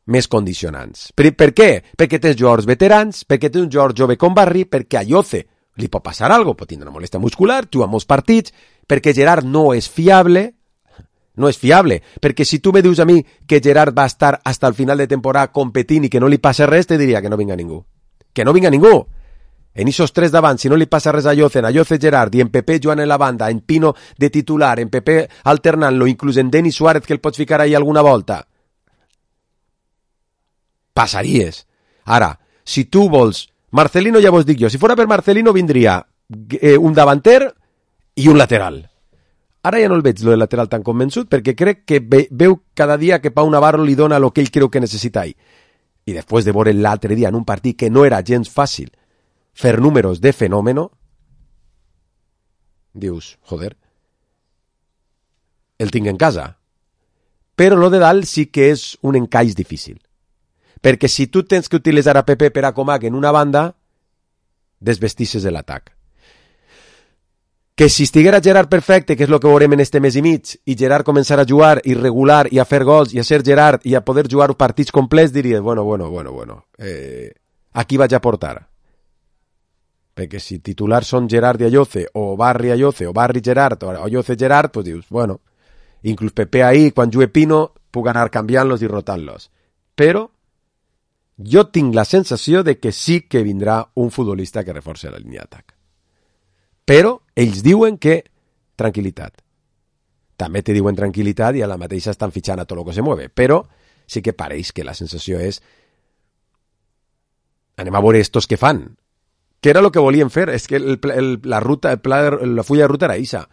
[SPEAKER 1] més condicionants. Per què? Perquè tens jugadors veterans, perquè tens un jugador jove com Barry, perquè a Yoce li pot passar alguna cosa, pot tindre una molèstia muscular, juga molts partits, perquè Gerard no és fiable, perquè si tu me dius a mi que Gerard va estar hasta el final de temporada competint i que no li passa res, te diria que no vinga ningú. Que no vinga ningú. En esos tres davant, si no li passa res a Yoce Gerard i en Pepe jugant en la banda, en Pino de titular, en Pepe alternant-lo, inclús en Denis Suárez que el pots ficar ahí alguna volta, passaries. Ara, si tu vols Marcelino, ja vos dic jo, si fora per Marcelino vindria un davanter i un lateral. Ara ja no el veig, lo del lateral tan convençut, perquè crec que veu cada dia que Pau Navarro li dona el que ell creu que necessita ell. I després de veure l'altre dia en un partit que no era gens fàcil fer números de fenòmeno, dius, joder, el tinc en casa. Però lo de dalt sí que és un encaix difícil. Perquè si tu tens que utilitzar a Pepe per a Comac en una banda, desvestisses de l'atac. Que si estiguera Gerard perfecte, que és el que veurem en este mes i mig, i Gerard començar a jugar i regular i a fer gols i a ser Gerard i a poder jugar partits complets, diria, bueno, aquí vaig a portar. Perquè si titulars són Gerard i Ayoce, o Barry Ayoce, o Barry Gerard, o Ayoce Gerard, pues dius, bueno, inclús Pepe ahí, quan jugue Pino, puc anar canviant-los i rotant-los. Però jo tinc la sensació de que sí que vindrà un futbolista que reforci la línia d'atac. Però ells diuen que tranquil·litat. També te diuen tranquil·litat i a la mateixa estan fitxant a tot el que se mueve. Però sí que pareix que la sensació és anem a veure estos que fan. Que era el que volien fer. És que la fulla de ruta era ixa.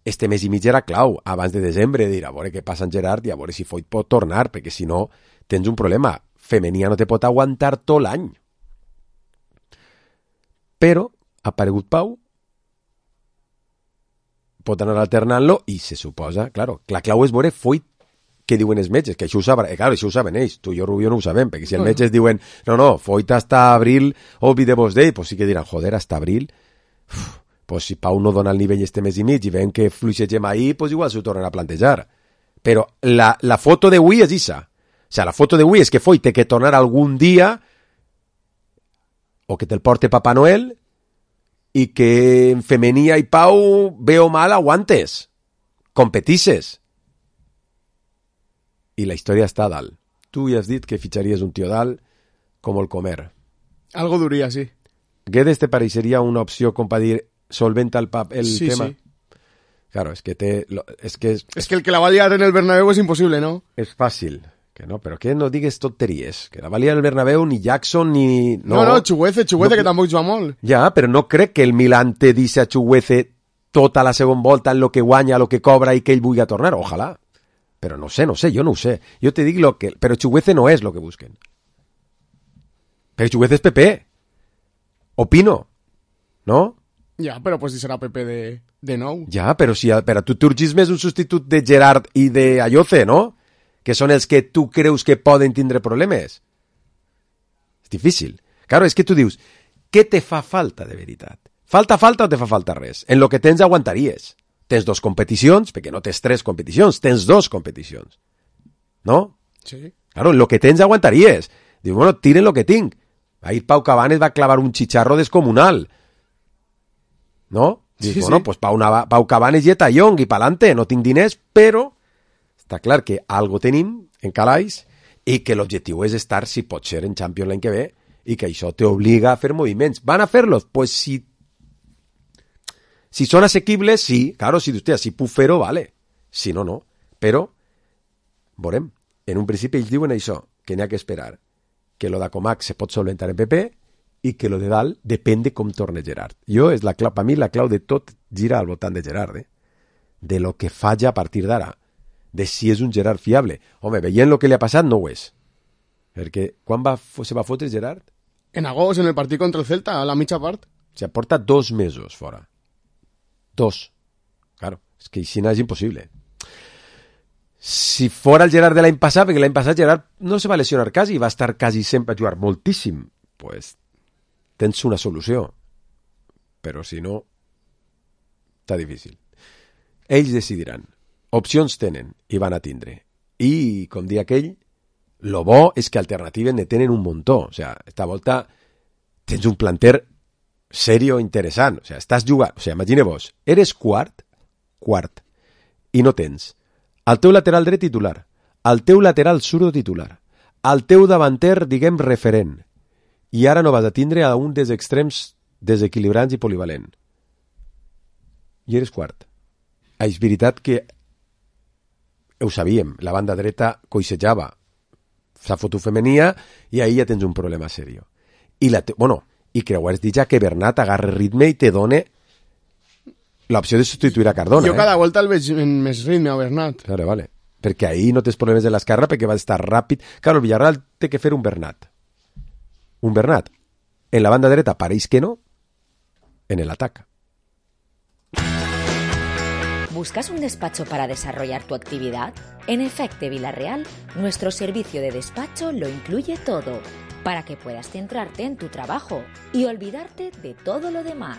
[SPEAKER 1] Este mes i mig era clau. Abans de desembre dir a veure què passa en Gerard i a veure si Foyt pot tornar, perquè si no tens un problema. Femenia no te pot aguantar tot l'any. Però ha aparegut Pau, pot anar alternant-lo i se suposa, claro, la clau és veure Foyt què diuen els metges, que això ho saben, claro, això ho saben ells, tu i jo, Rubio, no ho sabem, perquè si els metges diuen, no, Foyt hasta abril, olvidemos d'ell, pues sí que diran, joder, hasta abril, pues si Pau no dona el nivell este mes i mig i veiem que fluixegem ahí, pues igual s'ho tornen a plantejar. Però la foto d'avui és issa. O sea, la foto d'avui és que Foyt té que tornar algun dia o que te'l porte Papà Noel i que en Femenia i Pau bé o mal aguantes, competisses. I la història està a dalt. Tu ja has dit que fitxaries un tio dalt com el Comer.
[SPEAKER 2] Algo duria, sí.
[SPEAKER 1] Guedes te pareixeria una opció com per dir solventa el
[SPEAKER 2] sí,
[SPEAKER 1] tema?
[SPEAKER 2] Sí.
[SPEAKER 1] Claro, es que
[SPEAKER 2] el que la va liar en el Bernabéu és impossible, ¿no?
[SPEAKER 1] És fàcil. Que no, però que no digues tonteries. Que la va liar el Bernabéu ni Jackson ni...
[SPEAKER 2] No, Chuguece, que tampoc juga molt.
[SPEAKER 1] Ja, però no crec que el Milan te dice a Chuguece tota la segona volta en lo que guanya, lo que cobra i que ell vulgui tornar. Ojalà. Però no sé, jo no ho sé. Jo te dic lo que... Però Chuguece no és lo que busquen. Però Chuguece és Pepe. O Pino. No?
[SPEAKER 2] Ja, però pues si serà Pepe de nou.
[SPEAKER 1] Ja, però si per a tu t'urgis més un substitut de Gerard i de Ayoce, no? Que són els que tu creus que poden tindre problemes. És difícil. Claro, és que tu dius, què te fa falta de veritat? Falta o te fa falta res? En lo que tens aguantaries. Tens 2 competicions, perquè no tens 3 competicions, tens 2 competicions. No?
[SPEAKER 2] Sí.
[SPEAKER 1] Claro, en lo que tens aguantaries. Dius, bueno, tiren lo que tinc. Ahir Pau Cabanes va clavar un xicharro descomunal. No? Dius,
[SPEAKER 2] sí,
[SPEAKER 1] bueno,
[SPEAKER 2] sí.
[SPEAKER 1] pues Pau Cabanes i Etayong, i pa'lante, no tinc diners, però està clar que algo tenim en calaix i que l'objectiu és estar, si pot ser, en Champions l'any que ve i que això t'obliga a fer moviments. ¿Van a fer-los? Pues si són assequibles, sí. Claro, si puc fer-ho, vale. Si no, no. Però, veurem. En un principi ells diuen això, que n'hi ha que esperar. Que lo d'Acomac se pot solventar en PP i que lo de dalt depèn de com torna Gerard. Jo, és la clau, per mi la clau de tot gira al voltant de Gerard, de lo que falla a partir d'ara, de si és un Gerard fiable. Home, veient el que li ha passat no ho és. Perquè quan se va fotre Gerard?
[SPEAKER 2] En agost, en el partit contra el Celta, a la mitja part.
[SPEAKER 1] O sigui, porta 2 mesos fora. 2. Claro, és que així no és impossible. Si fora el Gerard de l'any passat, perquè l'any passat Gerard no se va lesionar quasi, va estar quasi sempre a jugar moltíssim, pues tens una solució. Però si no, està difícil. Ells decidiran. Opcions tenen i van a tindre. I, com dia aquell, lo bo és que alternatives ne tenen un muntó. O sigui, esta volta tens un planter serio interessant. O sigui, estàs jugant... O sigui, imagine-vos, eres quart, i no tens el teu lateral dret titular, el teu lateral zurdo titular, el teu davanter, diguem, referent, i ara no vas a tindre a un dels extrems desequilibrants i polivalent. I eres quart. És veritat que ho sabíem, la banda dreta coixejava, s'ha fotut femenia i ahir ja tens un problema serio. I creuers dir ja que Bernat agarra ritme i te dona l'opció de substituir a Cardona.
[SPEAKER 2] Jo cada volta el veig en més ritme a Bernat.
[SPEAKER 1] Vale. Perquè ahir no tens problemes de l'esquerra perquè va estar ràpid. Claro, el Villarreal té que fer un Bernat. Un Bernat. En la banda dreta pareix que no, en el ataque.
[SPEAKER 14] ¿Buscas un despacho para desarrollar tu actividad? En Efecte Villarreal, nuestro servicio de despacho lo incluye todo, para que puedas centrarte en tu trabajo y olvidarte de todo lo demás.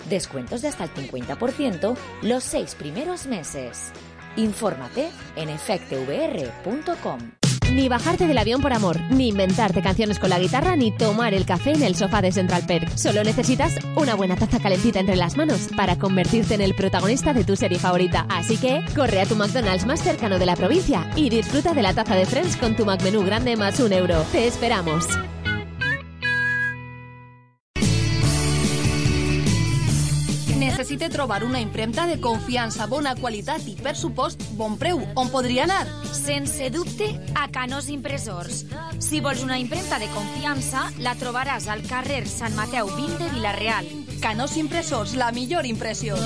[SPEAKER 14] Descuentos de hasta el 50% los 6 primeros meses. Infórmate en efectevr.com.
[SPEAKER 15] Ni bajarte del avión por amor, ni inventarte canciones con la guitarra, ni tomar el café en el sofá de Central Perk. Solo necesitas una buena taza calentita entre las manos para convertirte en el protagonista de tu serie favorita. Así que corre a tu McDonald's más cercano de la provincia y disfruta de la taza de Friends con tu McMenú grande más €1. Te esperamos.
[SPEAKER 7] Necessite trobar una impremta de confiança, bona qualitat i, per supost, bon preu. On podria anar?
[SPEAKER 9] Sense dubte, a Canós Impressors. Si vols una impremta de confiança, la trobaràs al carrer Sant Mateu 20 de Vila-real.
[SPEAKER 7] Canós Impressors, la millor impressió.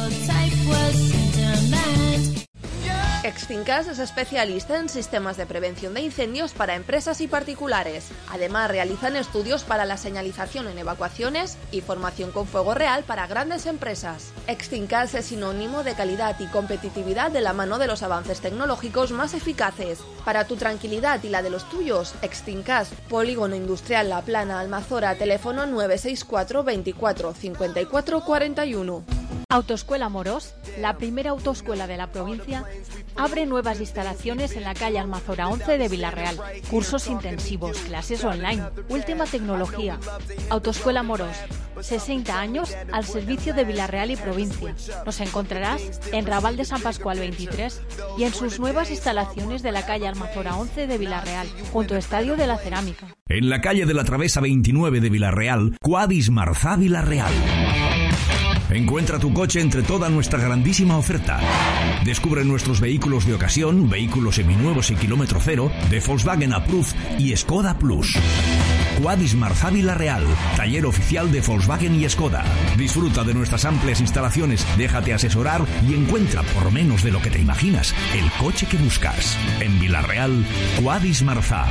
[SPEAKER 7] Extincas es especialista en sistemas de prevención de incendios para empresas y particulares. Además, realizan estudios para la señalización en evacuaciones y formación con fuego real para grandes empresas. Extincas es sinónimo de calidad y competitividad de la mano de los avances tecnológicos más eficaces. Para tu tranquilidad y la de los tuyos, Extincas, Polígono Industrial La Plana, Almazora, teléfono 964 24 54 41.
[SPEAKER 10] Autoescuela Morós, la primera autoescuela de la provincia, abre nuevas instalaciones en la calle Almazora 11 de Vila-real. Cursos intensivos, clases online, última tecnología. Autoescuela Morós, 60 años al servicio de Vila-real y provincia. Nos encontrarás en Raval de San Pascual 23 y en sus nuevas instalaciones de la calle Almazora 11 de Vila-real, junto al Estadio de la Cerámica.
[SPEAKER 16] En la calle de la Travesa 29 de Vila-real, Quadis Marzá Vila-real. Encuentra tu coche entre toda nuestra grandísima oferta. Descubre nuestros vehículos de ocasión, vehículos seminuevos y kilómetro cero, de Volkswagen Approved y Skoda Plus. Quadis Marzá Vila-real, taller oficial de Volkswagen y Skoda. Disfruta de nuestras amplias instalaciones, déjate asesorar y encuentra, por menos de lo que te imaginas, el coche que buscas. En Vila-real, Quadis Marzá.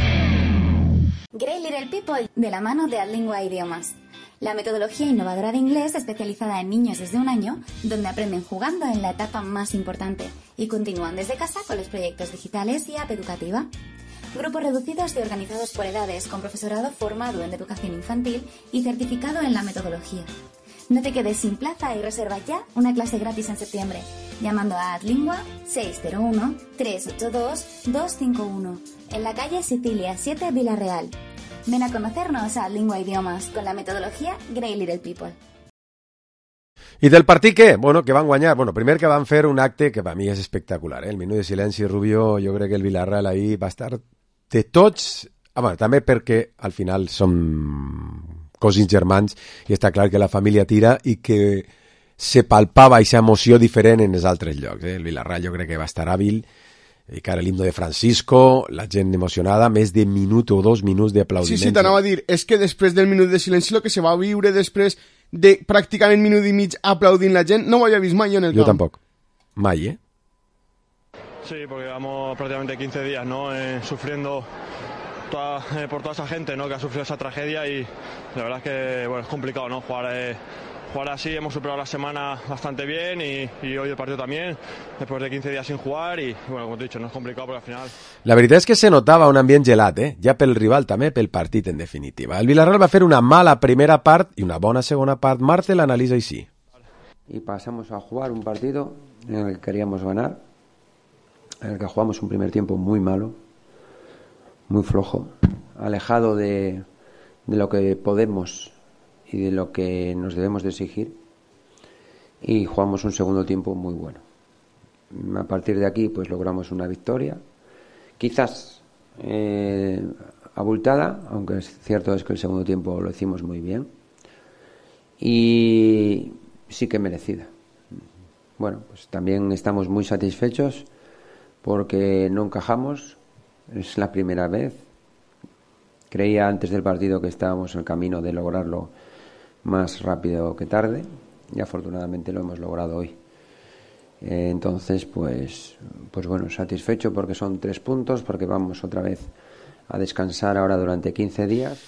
[SPEAKER 17] Great Little People, de la mano de Adlingua Idiomas. La metodología innovadora de inglés especializada en niños desde 1 año, donde aprenden jugando en la etapa más importante y continúan desde casa con los proyectos digitales y app educativa. Grupos reducidos y organizados por edades, con profesorado formado en educación infantil y certificado en la metodología. No te quedes sin plaza y reserva ya una clase gratis en septiembre, llamando a Adlingua 601-382-251, en la calle Sicilia 7, Vila-real. Ven a conocernos a Adlingua Idiomas con la metodología Great Little People.
[SPEAKER 1] I del partit què? Bueno, que van guanyar. Bueno, primer que van fer un acte que per mi és espectacular. El minut de silenci, Rubio, jo crec que el Villarreal ahir va estar de tots... Bueno, també perquè al final som cosins germans i està clar que la família tira i que se palpava aquesta emoció diferent en els altres llocs. El Villarreal jo crec que va estar hàbil. i cara l'himno de Francisco, la gent emocionada, més de minut o 2 minuts d'aplaudiments.
[SPEAKER 2] Sí, t'anava a dir, és que després del minut de silenci el que se va viure després de pràcticament minut i mig aplaudint la gent, no ho havia vist mai jo en el camp.
[SPEAKER 1] Jo tampoc, mai,
[SPEAKER 18] Sí, porque llevamos prácticamente 15 días, ¿no? Sufriendo por toda esa gente, ¿no? Que ha sufrido esa tragedia y la verdad es que, bueno, es complicado, ¿no? Jugar así, hemos superado la semana bastante bien y hoy el partido también, después de 15 días sin jugar y, bueno, como te he dicho, no es complicado porque al final...
[SPEAKER 1] La veritat és que se notava un ambient gelat, ja pel rival també, pel partit en definitiva. El Villarreal va fer una mala primera part i una bona segona part. Marte l'analitza així.
[SPEAKER 3] Y pasamos a jugar un partido en el que queríamos ganar, en el que jugamos un primer tiempo muy malo, muy flojo, alejado de lo que podemos y de lo que nos debemos de exigir, y jugamos un segundo tiempo muy bueno. A partir de aquí pues logramos una victoria, quizás abultada, aunque es cierto es que el segundo tiempo lo hicimos muy bien, y sí que merecida. Bueno, pues también estamos muy satisfechos porque no encajamos, es la primera vez. Creía antes del partido que estábamos en el camino de lograrlo más rápido que tarde y afortunadamente lo hemos logrado hoy. Entonces, pues bueno, satisfecho porque son 3 puntos, porque vamos otra vez a descansar ahora durante 15 días.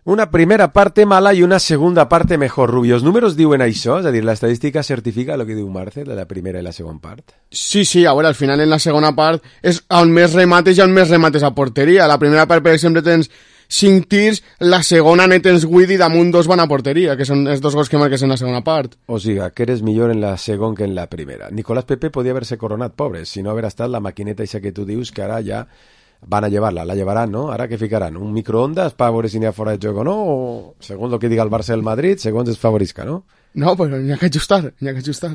[SPEAKER 1] Una primera parte mala i una segunda parte mejor, Rubio. Els números diuen això? És a dir, l'estadística certifica el que diu Marce, de la primera i la segona part?
[SPEAKER 2] Sí, a veure, al final en la segona part és on més remates i on més remates a porteria. La primera part, per exemple, tens 5 tirs, la segona ne tens 8 i damunt 2 van a porteria, que són els 2 gols que marques en la segona part.
[SPEAKER 1] O sigui, que eres millor en la segona que en la primera. Nicolás Pepe podia haver-se coronat, pobre, si no haver estat la maquineta eixa que tu dius, que ara ja van a llevar-la, la llevaran, ¿no? Ara què ficaran? Un microondas para veure si n'hi ha fora de joc o no? O, segons el que diga el Barça del Madrid, segons es favorisca, ¿no?
[SPEAKER 2] No, però n'hi ha que ajustar,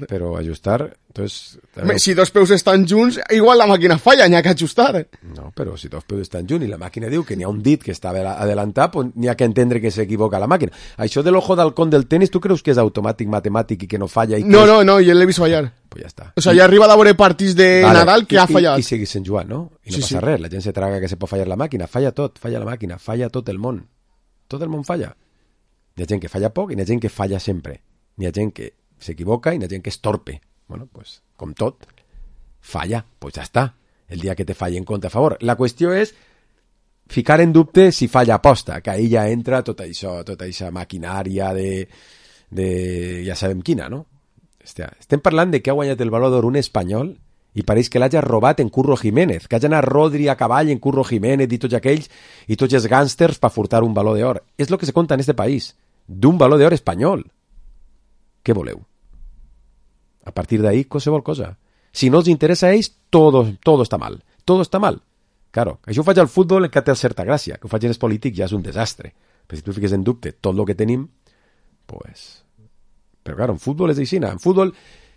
[SPEAKER 1] Però ajustar, entonces...
[SPEAKER 2] Si 2 peus estan junts, igual la màquina falla, n'hi ha que ajustar.
[SPEAKER 1] No, però si 2 peus estan junts i la màquina diu que n'hi ha un dit que està adelantat, pues n'hi ha que entendre que s'equivoca la màquina. Això de l'ojo d'halcón del tenis, tu creus que és automàtic, matemàtic i que no falla?
[SPEAKER 2] No, jo l'he vist fallar.
[SPEAKER 1] Pues ja està.
[SPEAKER 2] O sea, ja arriba a veure partits de Nadal que ha fallat.
[SPEAKER 1] I seguís en jugant, no? I no passa res, la gent se traga que se pot fallar la màquina. Falla tot, falla la màquina, falla tot el món. Tot el món falla. Hi ha gent que falla poc i hi ha gent que falla sempre. Hi ha gent que s'equivoca i hi ha gent que es torpe. Bueno, pues, com tot, falla, pues ja està. El dia que te falli en compte a favor. La qüestió és ficar en dubte si falla aposta, que ahir ja entra tota aquesta maquinària de ja sabem quina, no? Hòstia, estem parlant de que ha guanyat el Baló d'Or un espanyol i pareix que l'hagi robat en Curro Jiménez, que hagi anat Rodri a cavall en Curro Jiménez i tots aquells i tots els gàngsters per furtar un Baló d'Or. És el que se conta en este país, d'un Baló d'Or espanyol. Què voleu? A partir d'ahí, qualsevol cosa. Si no els interessa a ells, todo està mal. Todo està mal. Claro, això ho faig al futbol que té certa gràcia, que ho faig en els polítics ja és un desastre. Però si tu fiques en dubte tot el que tenim, pues... Però claro, en futbol és així. En futbol,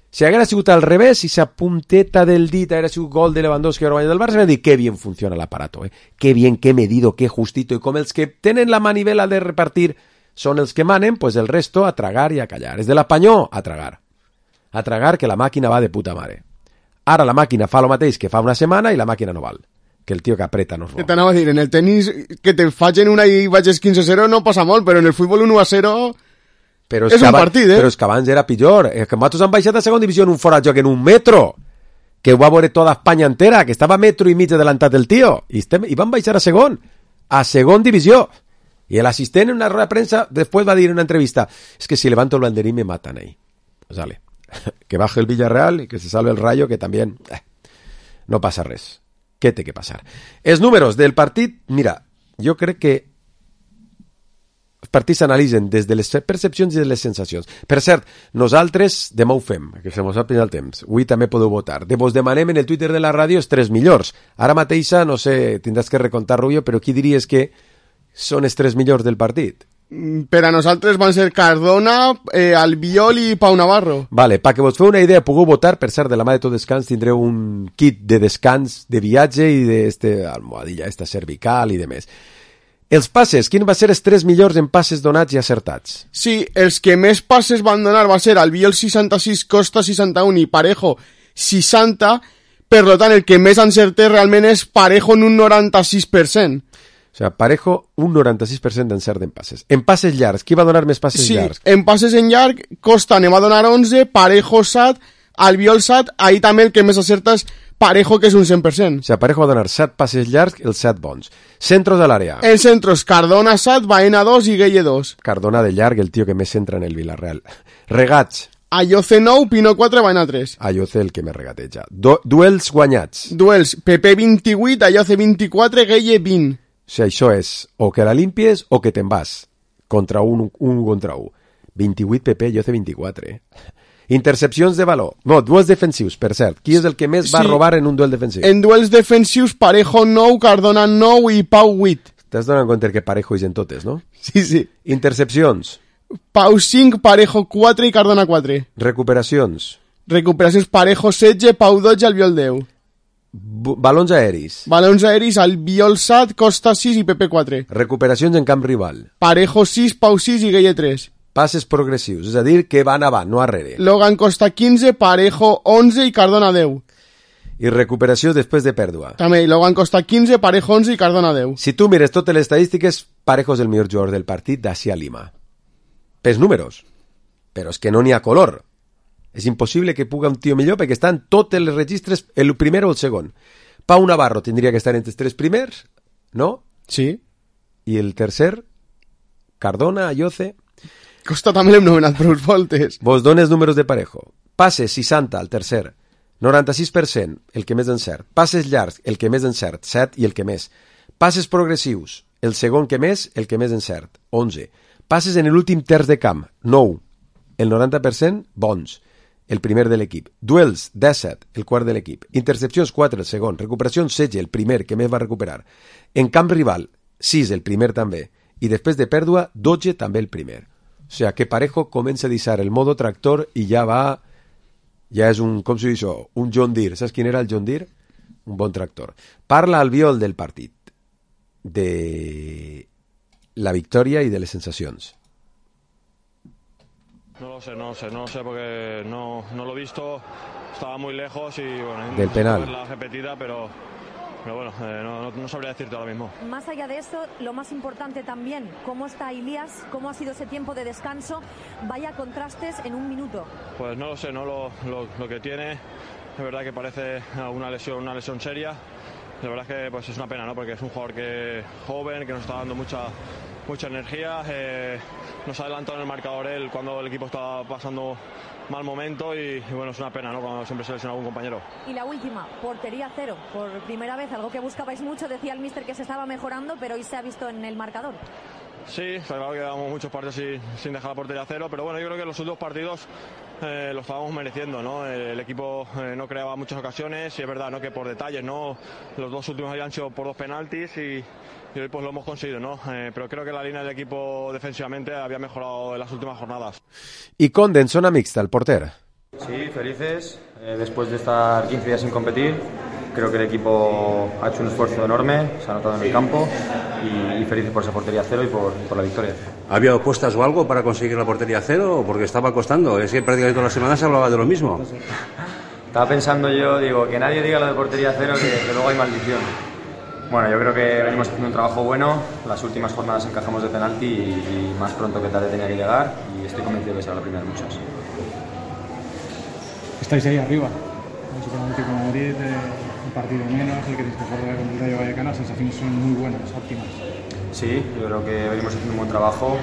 [SPEAKER 1] si haguera sigut al revés, si esa punteta del dit haguera sigut gol de Lewandowski o guanyat del Barça, m'ha dit que bien funciona l'aparato, que bien, que medido, que justito, i com els que tenen la manivela de repartir són els que manen, pues el resto a tragar i a callar. És de l'Espanyol a tragar. A tragar, que la màquina va de puta mare. Ara la màquina fa el mateix que fa una setmana i la màquina no val. Que el tio que apreta no es roba.
[SPEAKER 2] Què t'anava a dir? En el tenis, que te facin una i vagis 15-0 no passa molt, però en el futbol 1-0 és un partit,
[SPEAKER 1] Però és que abans era pitjor. És que nosaltres han baixat a segona divisió en un fora de joc en un metro, que ho va veure tota Espanya entera, que estava metro i mig adelantat el tio, i van baixar a segon divisió. Y el asistente en una rueda de prensa después va a decir en una entrevista, es que si levanto el banderín me matan ahí. Pues vale, que baje el Villarreal y que se salve el Rayo, que también no pasa res. Què té que passar? Els números del partit, mira, jo crec que els partits s'analitzen des de les percepcions i de les sensacions. Per cert, nosaltres demà ho fem, que se mos ha passat el temps. Avui també podeu votar. Vos demanem en el Twitter de la ràdio els 3 millors. Ara mateixa, no sé, tindràs que recontar, Rubio, però qui diries que són els 3 millors del partit?
[SPEAKER 2] Per a nosaltres van ser Cardona, Albiol i Pau Navarro.
[SPEAKER 1] Vale, perquè vos feu una idea, pugueu votar, per cert, de la mà de Tot Descans tindreu un kit de descans de viatge i d'almohadilla, esta cervical i de més. Els passes, quin va ser els 3 millors en passes donats i acertats?
[SPEAKER 2] Sí, els que més passes van donar va ser Albiol 66, Costa 61 i Parejo 60, Per tant, el que més encerté realment és Parejo en un 96%.
[SPEAKER 1] O sigui, Parejo, un 96% d'encert en passes. En passes llargs, qui va donar més passes llargs?
[SPEAKER 2] Sí, en passes en llarg, Costa ne va donar 11, Parejo 7, Albiol 7, ahí també el que més acerta és Parejo, que és un 100%.
[SPEAKER 1] O sigui, Parejo va donar 7 passes llargs, els 7 bons. Centros a l'àrea.
[SPEAKER 2] En centros, Cardona 7, Baena 2 i Gueye 2.
[SPEAKER 1] Cardona de llarg, el tio que més centra en el Villarreal. Regats.
[SPEAKER 2] Ayoce 9, Pino 4, Baena 3.
[SPEAKER 1] Ayoce el que més regateja. Duels guanyats.
[SPEAKER 2] Duels, PP 28, Ayoce 24, Gueye 20.
[SPEAKER 1] O sigui, això és o que la limpies o que te'n vas. Contra un contra un. 28 PP, Ayoce 24. Intercepcions de valor. No, duels defensius, per cert. Qui és el que més va robar en un duel defensiu?
[SPEAKER 2] En duels defensius, Parejo 9, Cardona 9 i Pau 8.
[SPEAKER 1] T'has donat compte que Parejo és en totes, no?
[SPEAKER 2] Sí.
[SPEAKER 1] Intercepcions.
[SPEAKER 2] Pau 5, Parejo 4 i Cardona 4.
[SPEAKER 1] Recuperacions.
[SPEAKER 2] Recuperacions, Parejo 16, Pau 12, Albiol 10.
[SPEAKER 1] Balons aeris.
[SPEAKER 2] Balons aeris, Albiol 7, Costa 6 i PP 4.
[SPEAKER 1] Recuperacions en camp rival.
[SPEAKER 2] Parejo 6, Pau 6 i Gueye 3.
[SPEAKER 1] Passes progressius, és a dir, que van avant, no arrere.
[SPEAKER 2] Logan Costa 15, Parejo 11 i Cardona 10.
[SPEAKER 1] I recuperació després de pèrdua.
[SPEAKER 2] També, Logan Costa 15, Parejo 11 i Cardona 10.
[SPEAKER 1] Si tu mires totes les estadístiques, Parejo és el millor jugador del partit d'ací a Lima. Pels números. Però és que no n'hi ha color. És impossible que puga un tio millor perquè estan tots els registres, el primer o el segon. Pau Navarro tindria que estar entre els 3 primers, no?
[SPEAKER 2] Sí.
[SPEAKER 1] I el tercer? Cardona, Ayoce...
[SPEAKER 2] Costa també l'hem nomenat prou voltes.
[SPEAKER 1] Vos dones números de Parejo. Passes 60, el tercer. 96%, el que més encert. Passes llargs, el que més encert, 7 i el que més. Passes progressius, el segon que més, el que més encert, 11. Passes en l'últim terç de camp, 9. El 90%, bons. El primer de l'equip. Duels, 17, el quart de l'equip. Intercepcions, 4, el segon. Recuperacions, 16, el primer, que més va recuperar. En camp rival, 6, el primer també. I després de pèrdua, 12, també el primer. O sigui, que Parejo comença a deixar el modo tractor i ja va... Ja és un, com s'ho diu això? Un John Deere. Saps quin era el John Deere? Un bon tractor. Parla Albiol del partit. De la victòria i de les sensacions.
[SPEAKER 18] No lo sé porque no lo he visto, estaba muy lejos y bueno,
[SPEAKER 1] del penal.
[SPEAKER 18] La repetida, pero bueno, no sabría decirte ahora mismo.
[SPEAKER 19] Más allá de eso, lo más importante también, ¿cómo está Ilías? ¿Cómo ha sido ese tiempo de descanso? Vaya contrastes en un minuto.
[SPEAKER 18] Pues no lo sé, no lo que tiene, es verdad que parece una lesión seria. La verdad es que pues es una pena, ¿no? Porque es un jugador joven, que nos está dando mucha energía, nos ha adelantado en el marcador él cuando el equipo estaba pasando mal momento y bueno, es una pena, ¿no? Cuando siempre se lesiona algún compañero.
[SPEAKER 19] Y la última, portería cero, por primera vez, algo que buscabais mucho, decía el míster que se estaba mejorando, pero hoy se ha visto en el marcador.
[SPEAKER 18] Sí, está claro que llevamos muchos partidos sin dejar la portería cero, pero bueno, yo creo que los últimos partidos lo estábamos mereciendo, ¿no? El equipo no creaba muchas ocasiones y es verdad, ¿no? Que por detalles, ¿no? Los dos últimos habían sido por 2 penaltis y hoy pues lo hemos conseguido, ¿no? Pero creo que la línea del equipo defensivamente había mejorado en las últimas jornadas.
[SPEAKER 1] Y Conde en zona mixta, el portero.
[SPEAKER 13] Sí, felices. Después de estar 15 días sin competir, creo que el equipo ha hecho un esfuerzo enorme, se ha notado en el campo y felices por esa portería cero y por la victoria.
[SPEAKER 20] ¿Había apuestas o algo para conseguir la portería cero? Porque estaba costando. Es que prácticamente todas las semanas se hablaba de lo mismo.
[SPEAKER 13] Estaba pensando yo, digo, que nadie diga lo de portería cero, que luego hay maldición. Bueno, yo creo que venimos haciendo un trabajo bueno. Las últimas jornadas encajamos de penalti y más pronto que tarde tenía que llegar y estoy convencido de que será la primera de muchas.
[SPEAKER 21] Estáis ahí arriba, básicamente con Madrid, un partido menos, el que tenéis que jugar con el Rayo Vallecano, las sensaciones son muy buenas, óptimas.
[SPEAKER 13] Sí, yo creo que venimos haciendo un buen trabajo.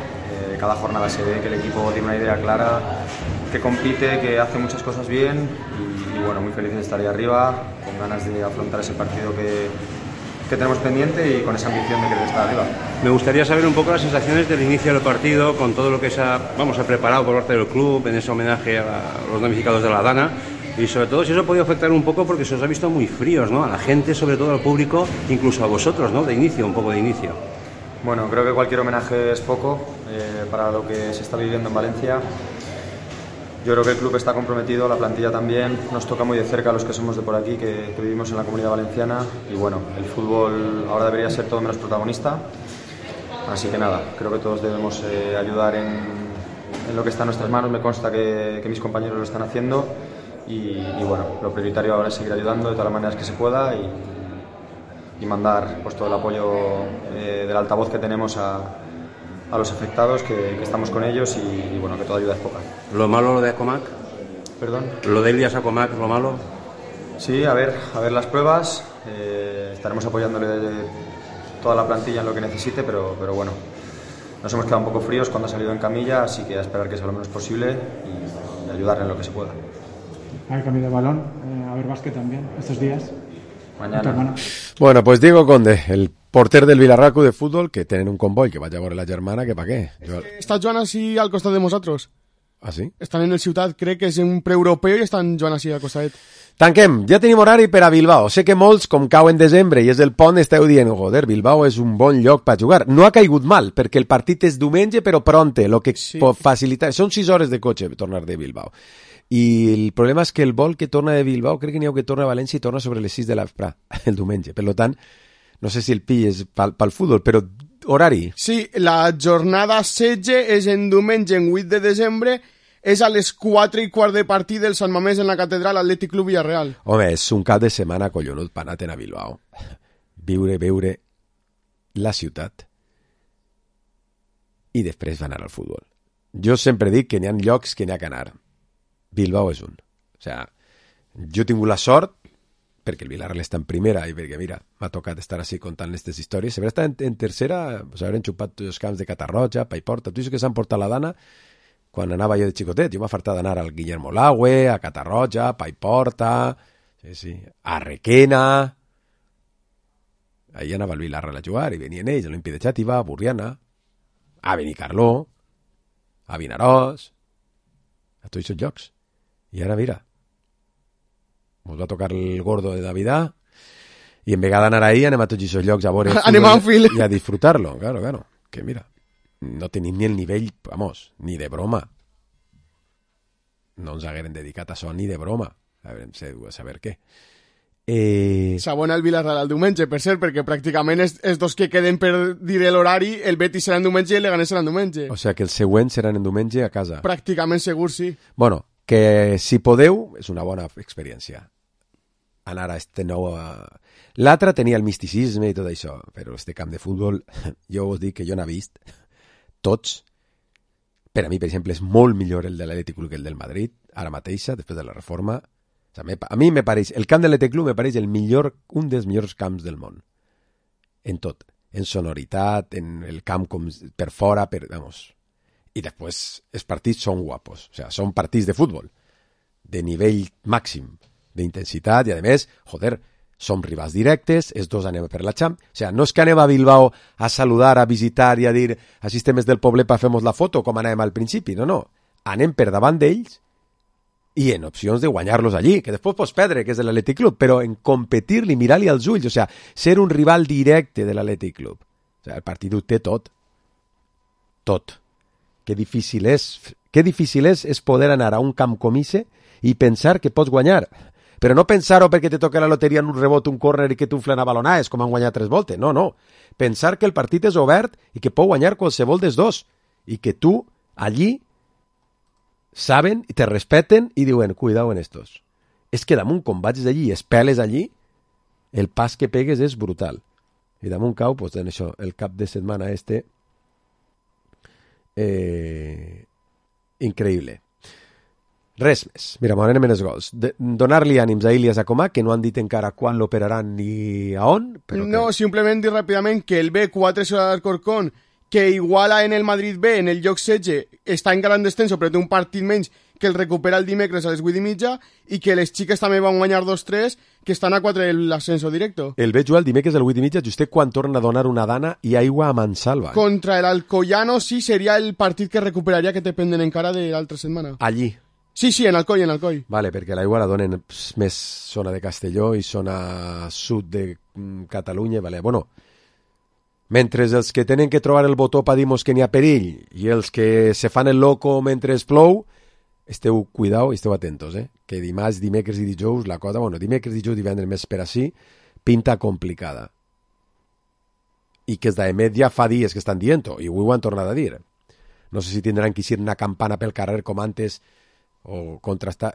[SPEAKER 13] Cada jornada se ve que el equipo tiene una idea clara, que compite, que hace muchas cosas bien y bueno, muy feliz de estar ahí arriba, con ganas de afrontar ese partido que tenemos pendiente y con esa ambición de querer estar arriba.
[SPEAKER 20] Me gustaría saber un poco las sensaciones del inicio del partido, con todo lo que se ha preparado por parte del club, en ese homenaje a los damnificados de la Dana, y sobre todo si eso ha podido afectar un poco porque se os ha visto muy fríos, ¿no? A la gente, sobre todo al público, incluso a vosotros, ¿no? De inicio, un poco de inicio.
[SPEAKER 13] Bueno, creo que cualquier homenaje es poco para lo que se está viviendo en Valencia. Yo creo que el club está comprometido, la plantilla también, nos toca muy de cerca a los que somos de por aquí, que vivimos en la Comunidad Valenciana y bueno, el fútbol ahora debería ser todo menos protagonista, así que nada, creo que todos debemos ayudar en lo que está en nuestras manos, me consta que mis compañeros lo están haciendo y bueno, lo prioritario ahora es seguir ayudando de todas las maneras que se pueda y mandar pues todo el apoyo del altavoz que tenemos a los afectados, que estamos con ellos y bueno, que toda ayuda es poca.
[SPEAKER 20] ¿Lo malo lo de Acomac?
[SPEAKER 13] ¿Perdón?
[SPEAKER 20] ¿Lo de Ilias Acomac, lo malo?
[SPEAKER 13] Sí, a ver las pruebas, estaremos apoyándole toda la plantilla en lo que necesite, pero bueno, nos hemos quedado un poco fríos cuando ha salido en camilla, así que a esperar que sea lo menos posible y ayudarle en lo que se pueda.
[SPEAKER 21] Hay cambio de balón, a ver básquet también, estos días.
[SPEAKER 13] Mañana.
[SPEAKER 1] Bueno, pues Diego Conde, el porter del Villarreal Club de Fútbol, que tienen un convoy que vaya a veure la germana, que pa què?
[SPEAKER 2] Està Joan així al costat de nosaltres.
[SPEAKER 1] Ah, sí?
[SPEAKER 2] Estan en el Ciutat, crec que és un preeuropeu i estan Joan així al costat.
[SPEAKER 1] Tanquem, ja tenim horari per a Bilbao. Sé que molts, com cau en desembre i és el pont, esteu dient, joder, Bilbao és un bon lloc per jugar. No ha caigut mal, perquè el partit és diumenge, però pronte, lo que sí. Pot facilitar... Són 6 hores de cotxe tornar de Bilbao. I el problema és que el vol que torna de Bilbao, crec que n'hi ha que torna a València i torna sobre les 6 de l'Aprà, el diumenge. Per tant, no sé si el pilles pel futbol, però horari.
[SPEAKER 2] Sí, la jornada 16 és en diumenge, en 8 de desembre, és a les 4:15 de partit del Sant Mamés en la Catedral Atlètic Club Villarreal.
[SPEAKER 1] Home, és un cap de setmana collonut per anar a Bilbao. Veure la ciutat i després va anar al futbol. Jo sempre dic que n'hi ha llocs que n'hi ha que anar. Bilbao és un. O sea, jo he tingut la sort, perquè el Villarreal està en primera i perquè, mira, m'ha tocat estar així contant aquestes històries. Si haver estat en tercera, pues haver enxupat els camps de Catarroja, Paiporta, tu dius que s'han portat la dana quan anava jo de xicotet. Jo m'ha fartat d'anar al Guillermo Lagüe, a Catarroja, a Paiporta, sí, a Requena. Ahí anava el Villarreal a jugar i venien ells, a l'Olímpic de Xàtiva, a Burriana, a Benicarló, a Vinaròs, a tots aquests llocs. I ara, mira, ens va tocar el gordo de Navidad i en vegada d'anar ahí anem a tots aquests llocs a veure i a disfrutar-lo. Claro, que mira, no tenim ni el nivell, vamos, ni de broma. No ens hagueren dedicat a això ni de broma. A saber què.
[SPEAKER 2] S'abona el Villarreal al diumenge, per cert, perquè pràcticament els dos que queden per dir l'horari, el Betis serà en diumenge i el Leganés serà en diumenge.
[SPEAKER 1] O sigui que els següents seran en diumenge a casa.
[SPEAKER 2] Pràcticament segur, sí.
[SPEAKER 1] Bueno, que si podeu, és una bona experiència. Anar a este nou... L'altre tenia el misticisme i tot això, però este camp de futbol, jo us dic que jo n'he vist tots. Per a mi, per exemple, és molt millor el de l'Atlètic Club que el del Madrid, ara mateixa, després de la reforma. O sigui, a mi me pareix, el camp de l'Atlètic Club me pareix un dels millors camps del món. En tot. En sonoritat, en el camp com per fora, vamos... I després els partits són guapos, o sea, són partits de futbol de nivell màxim d'intensitat i a més, joder, som rivals directes, els dos anem per la Champ, o sea, no és que anem a Bilbao a saludar, a visitar i a dir a sistemes del poble pa fem la foto com anàvem al principi, no, anem per davant d'ells i en opcions de guanyar-los allí, que després pots perdre, que és de l'Atlètic Club, però en competir-li, mirar-li als ulls, o sea, ser un rival directe de l'Atlètic Club, o sea, el partit ho té tot. Que difícil és poder anar a un camp com ese i pensar que pots guanyar. Però no pensar-ho perquè te toca la loteria en un rebot, un córner i que t'unflen a balonades, com han guanyat 3 voltes. No. Pensar que el partit és obert i que pot guanyar qualsevol dels dos. I que tu, allí, saben i te respeten i diuen, cuidao en estos. És que damunt, quan vaig d'allí i espeles allí, el pas que pegues és brutal. I damunt cau, pues, en això, el cap de setmana increïble. Res més. Mira, m'anem en els gols. Donar-li ànims a Ilias Acomac, que no han dit encara quan l'operaran ni a on. Però
[SPEAKER 2] no, simplement dir ràpidament que el B4 Ciudad d'Alcorcón, que iguala en el Madrid B, en el lloc 16, està en gran descenso, però té un partit menys, que el recupera el dimecres a les 8:30 i que les xiques també van guanyar 2-3, que estan a 4 de l'ascenso directo.
[SPEAKER 1] El veig jugar el dimecres a les 8:30, justet quan torna a donar una dana i aigua a Mansalva.
[SPEAKER 2] Contra el Alcoyano, sí, seria el partit que recuperaria que te penden encara de l'altra setmana.
[SPEAKER 1] Allí?
[SPEAKER 2] Sí, en Alcoi.
[SPEAKER 1] Vale, perquè l'aigua la donen més zona de Castelló i zona sud de Catalunya, vale. Bueno, mentre els que tenen que trobar el botó per dir-nos que n'hi ha perill i els que se fan el loco mentre es plou, esteu cuidao i esteu atentos, que dimarts, dimecres i dijous la cosa, bueno, dimecres, dijous, divendres més per així, pinta complicada. I que els d'Emet ja fa dies que estan dient-ho, i avui ho han tornat a dir. No sé si tindran que ir una campana pel carrer com antes, o contrastar...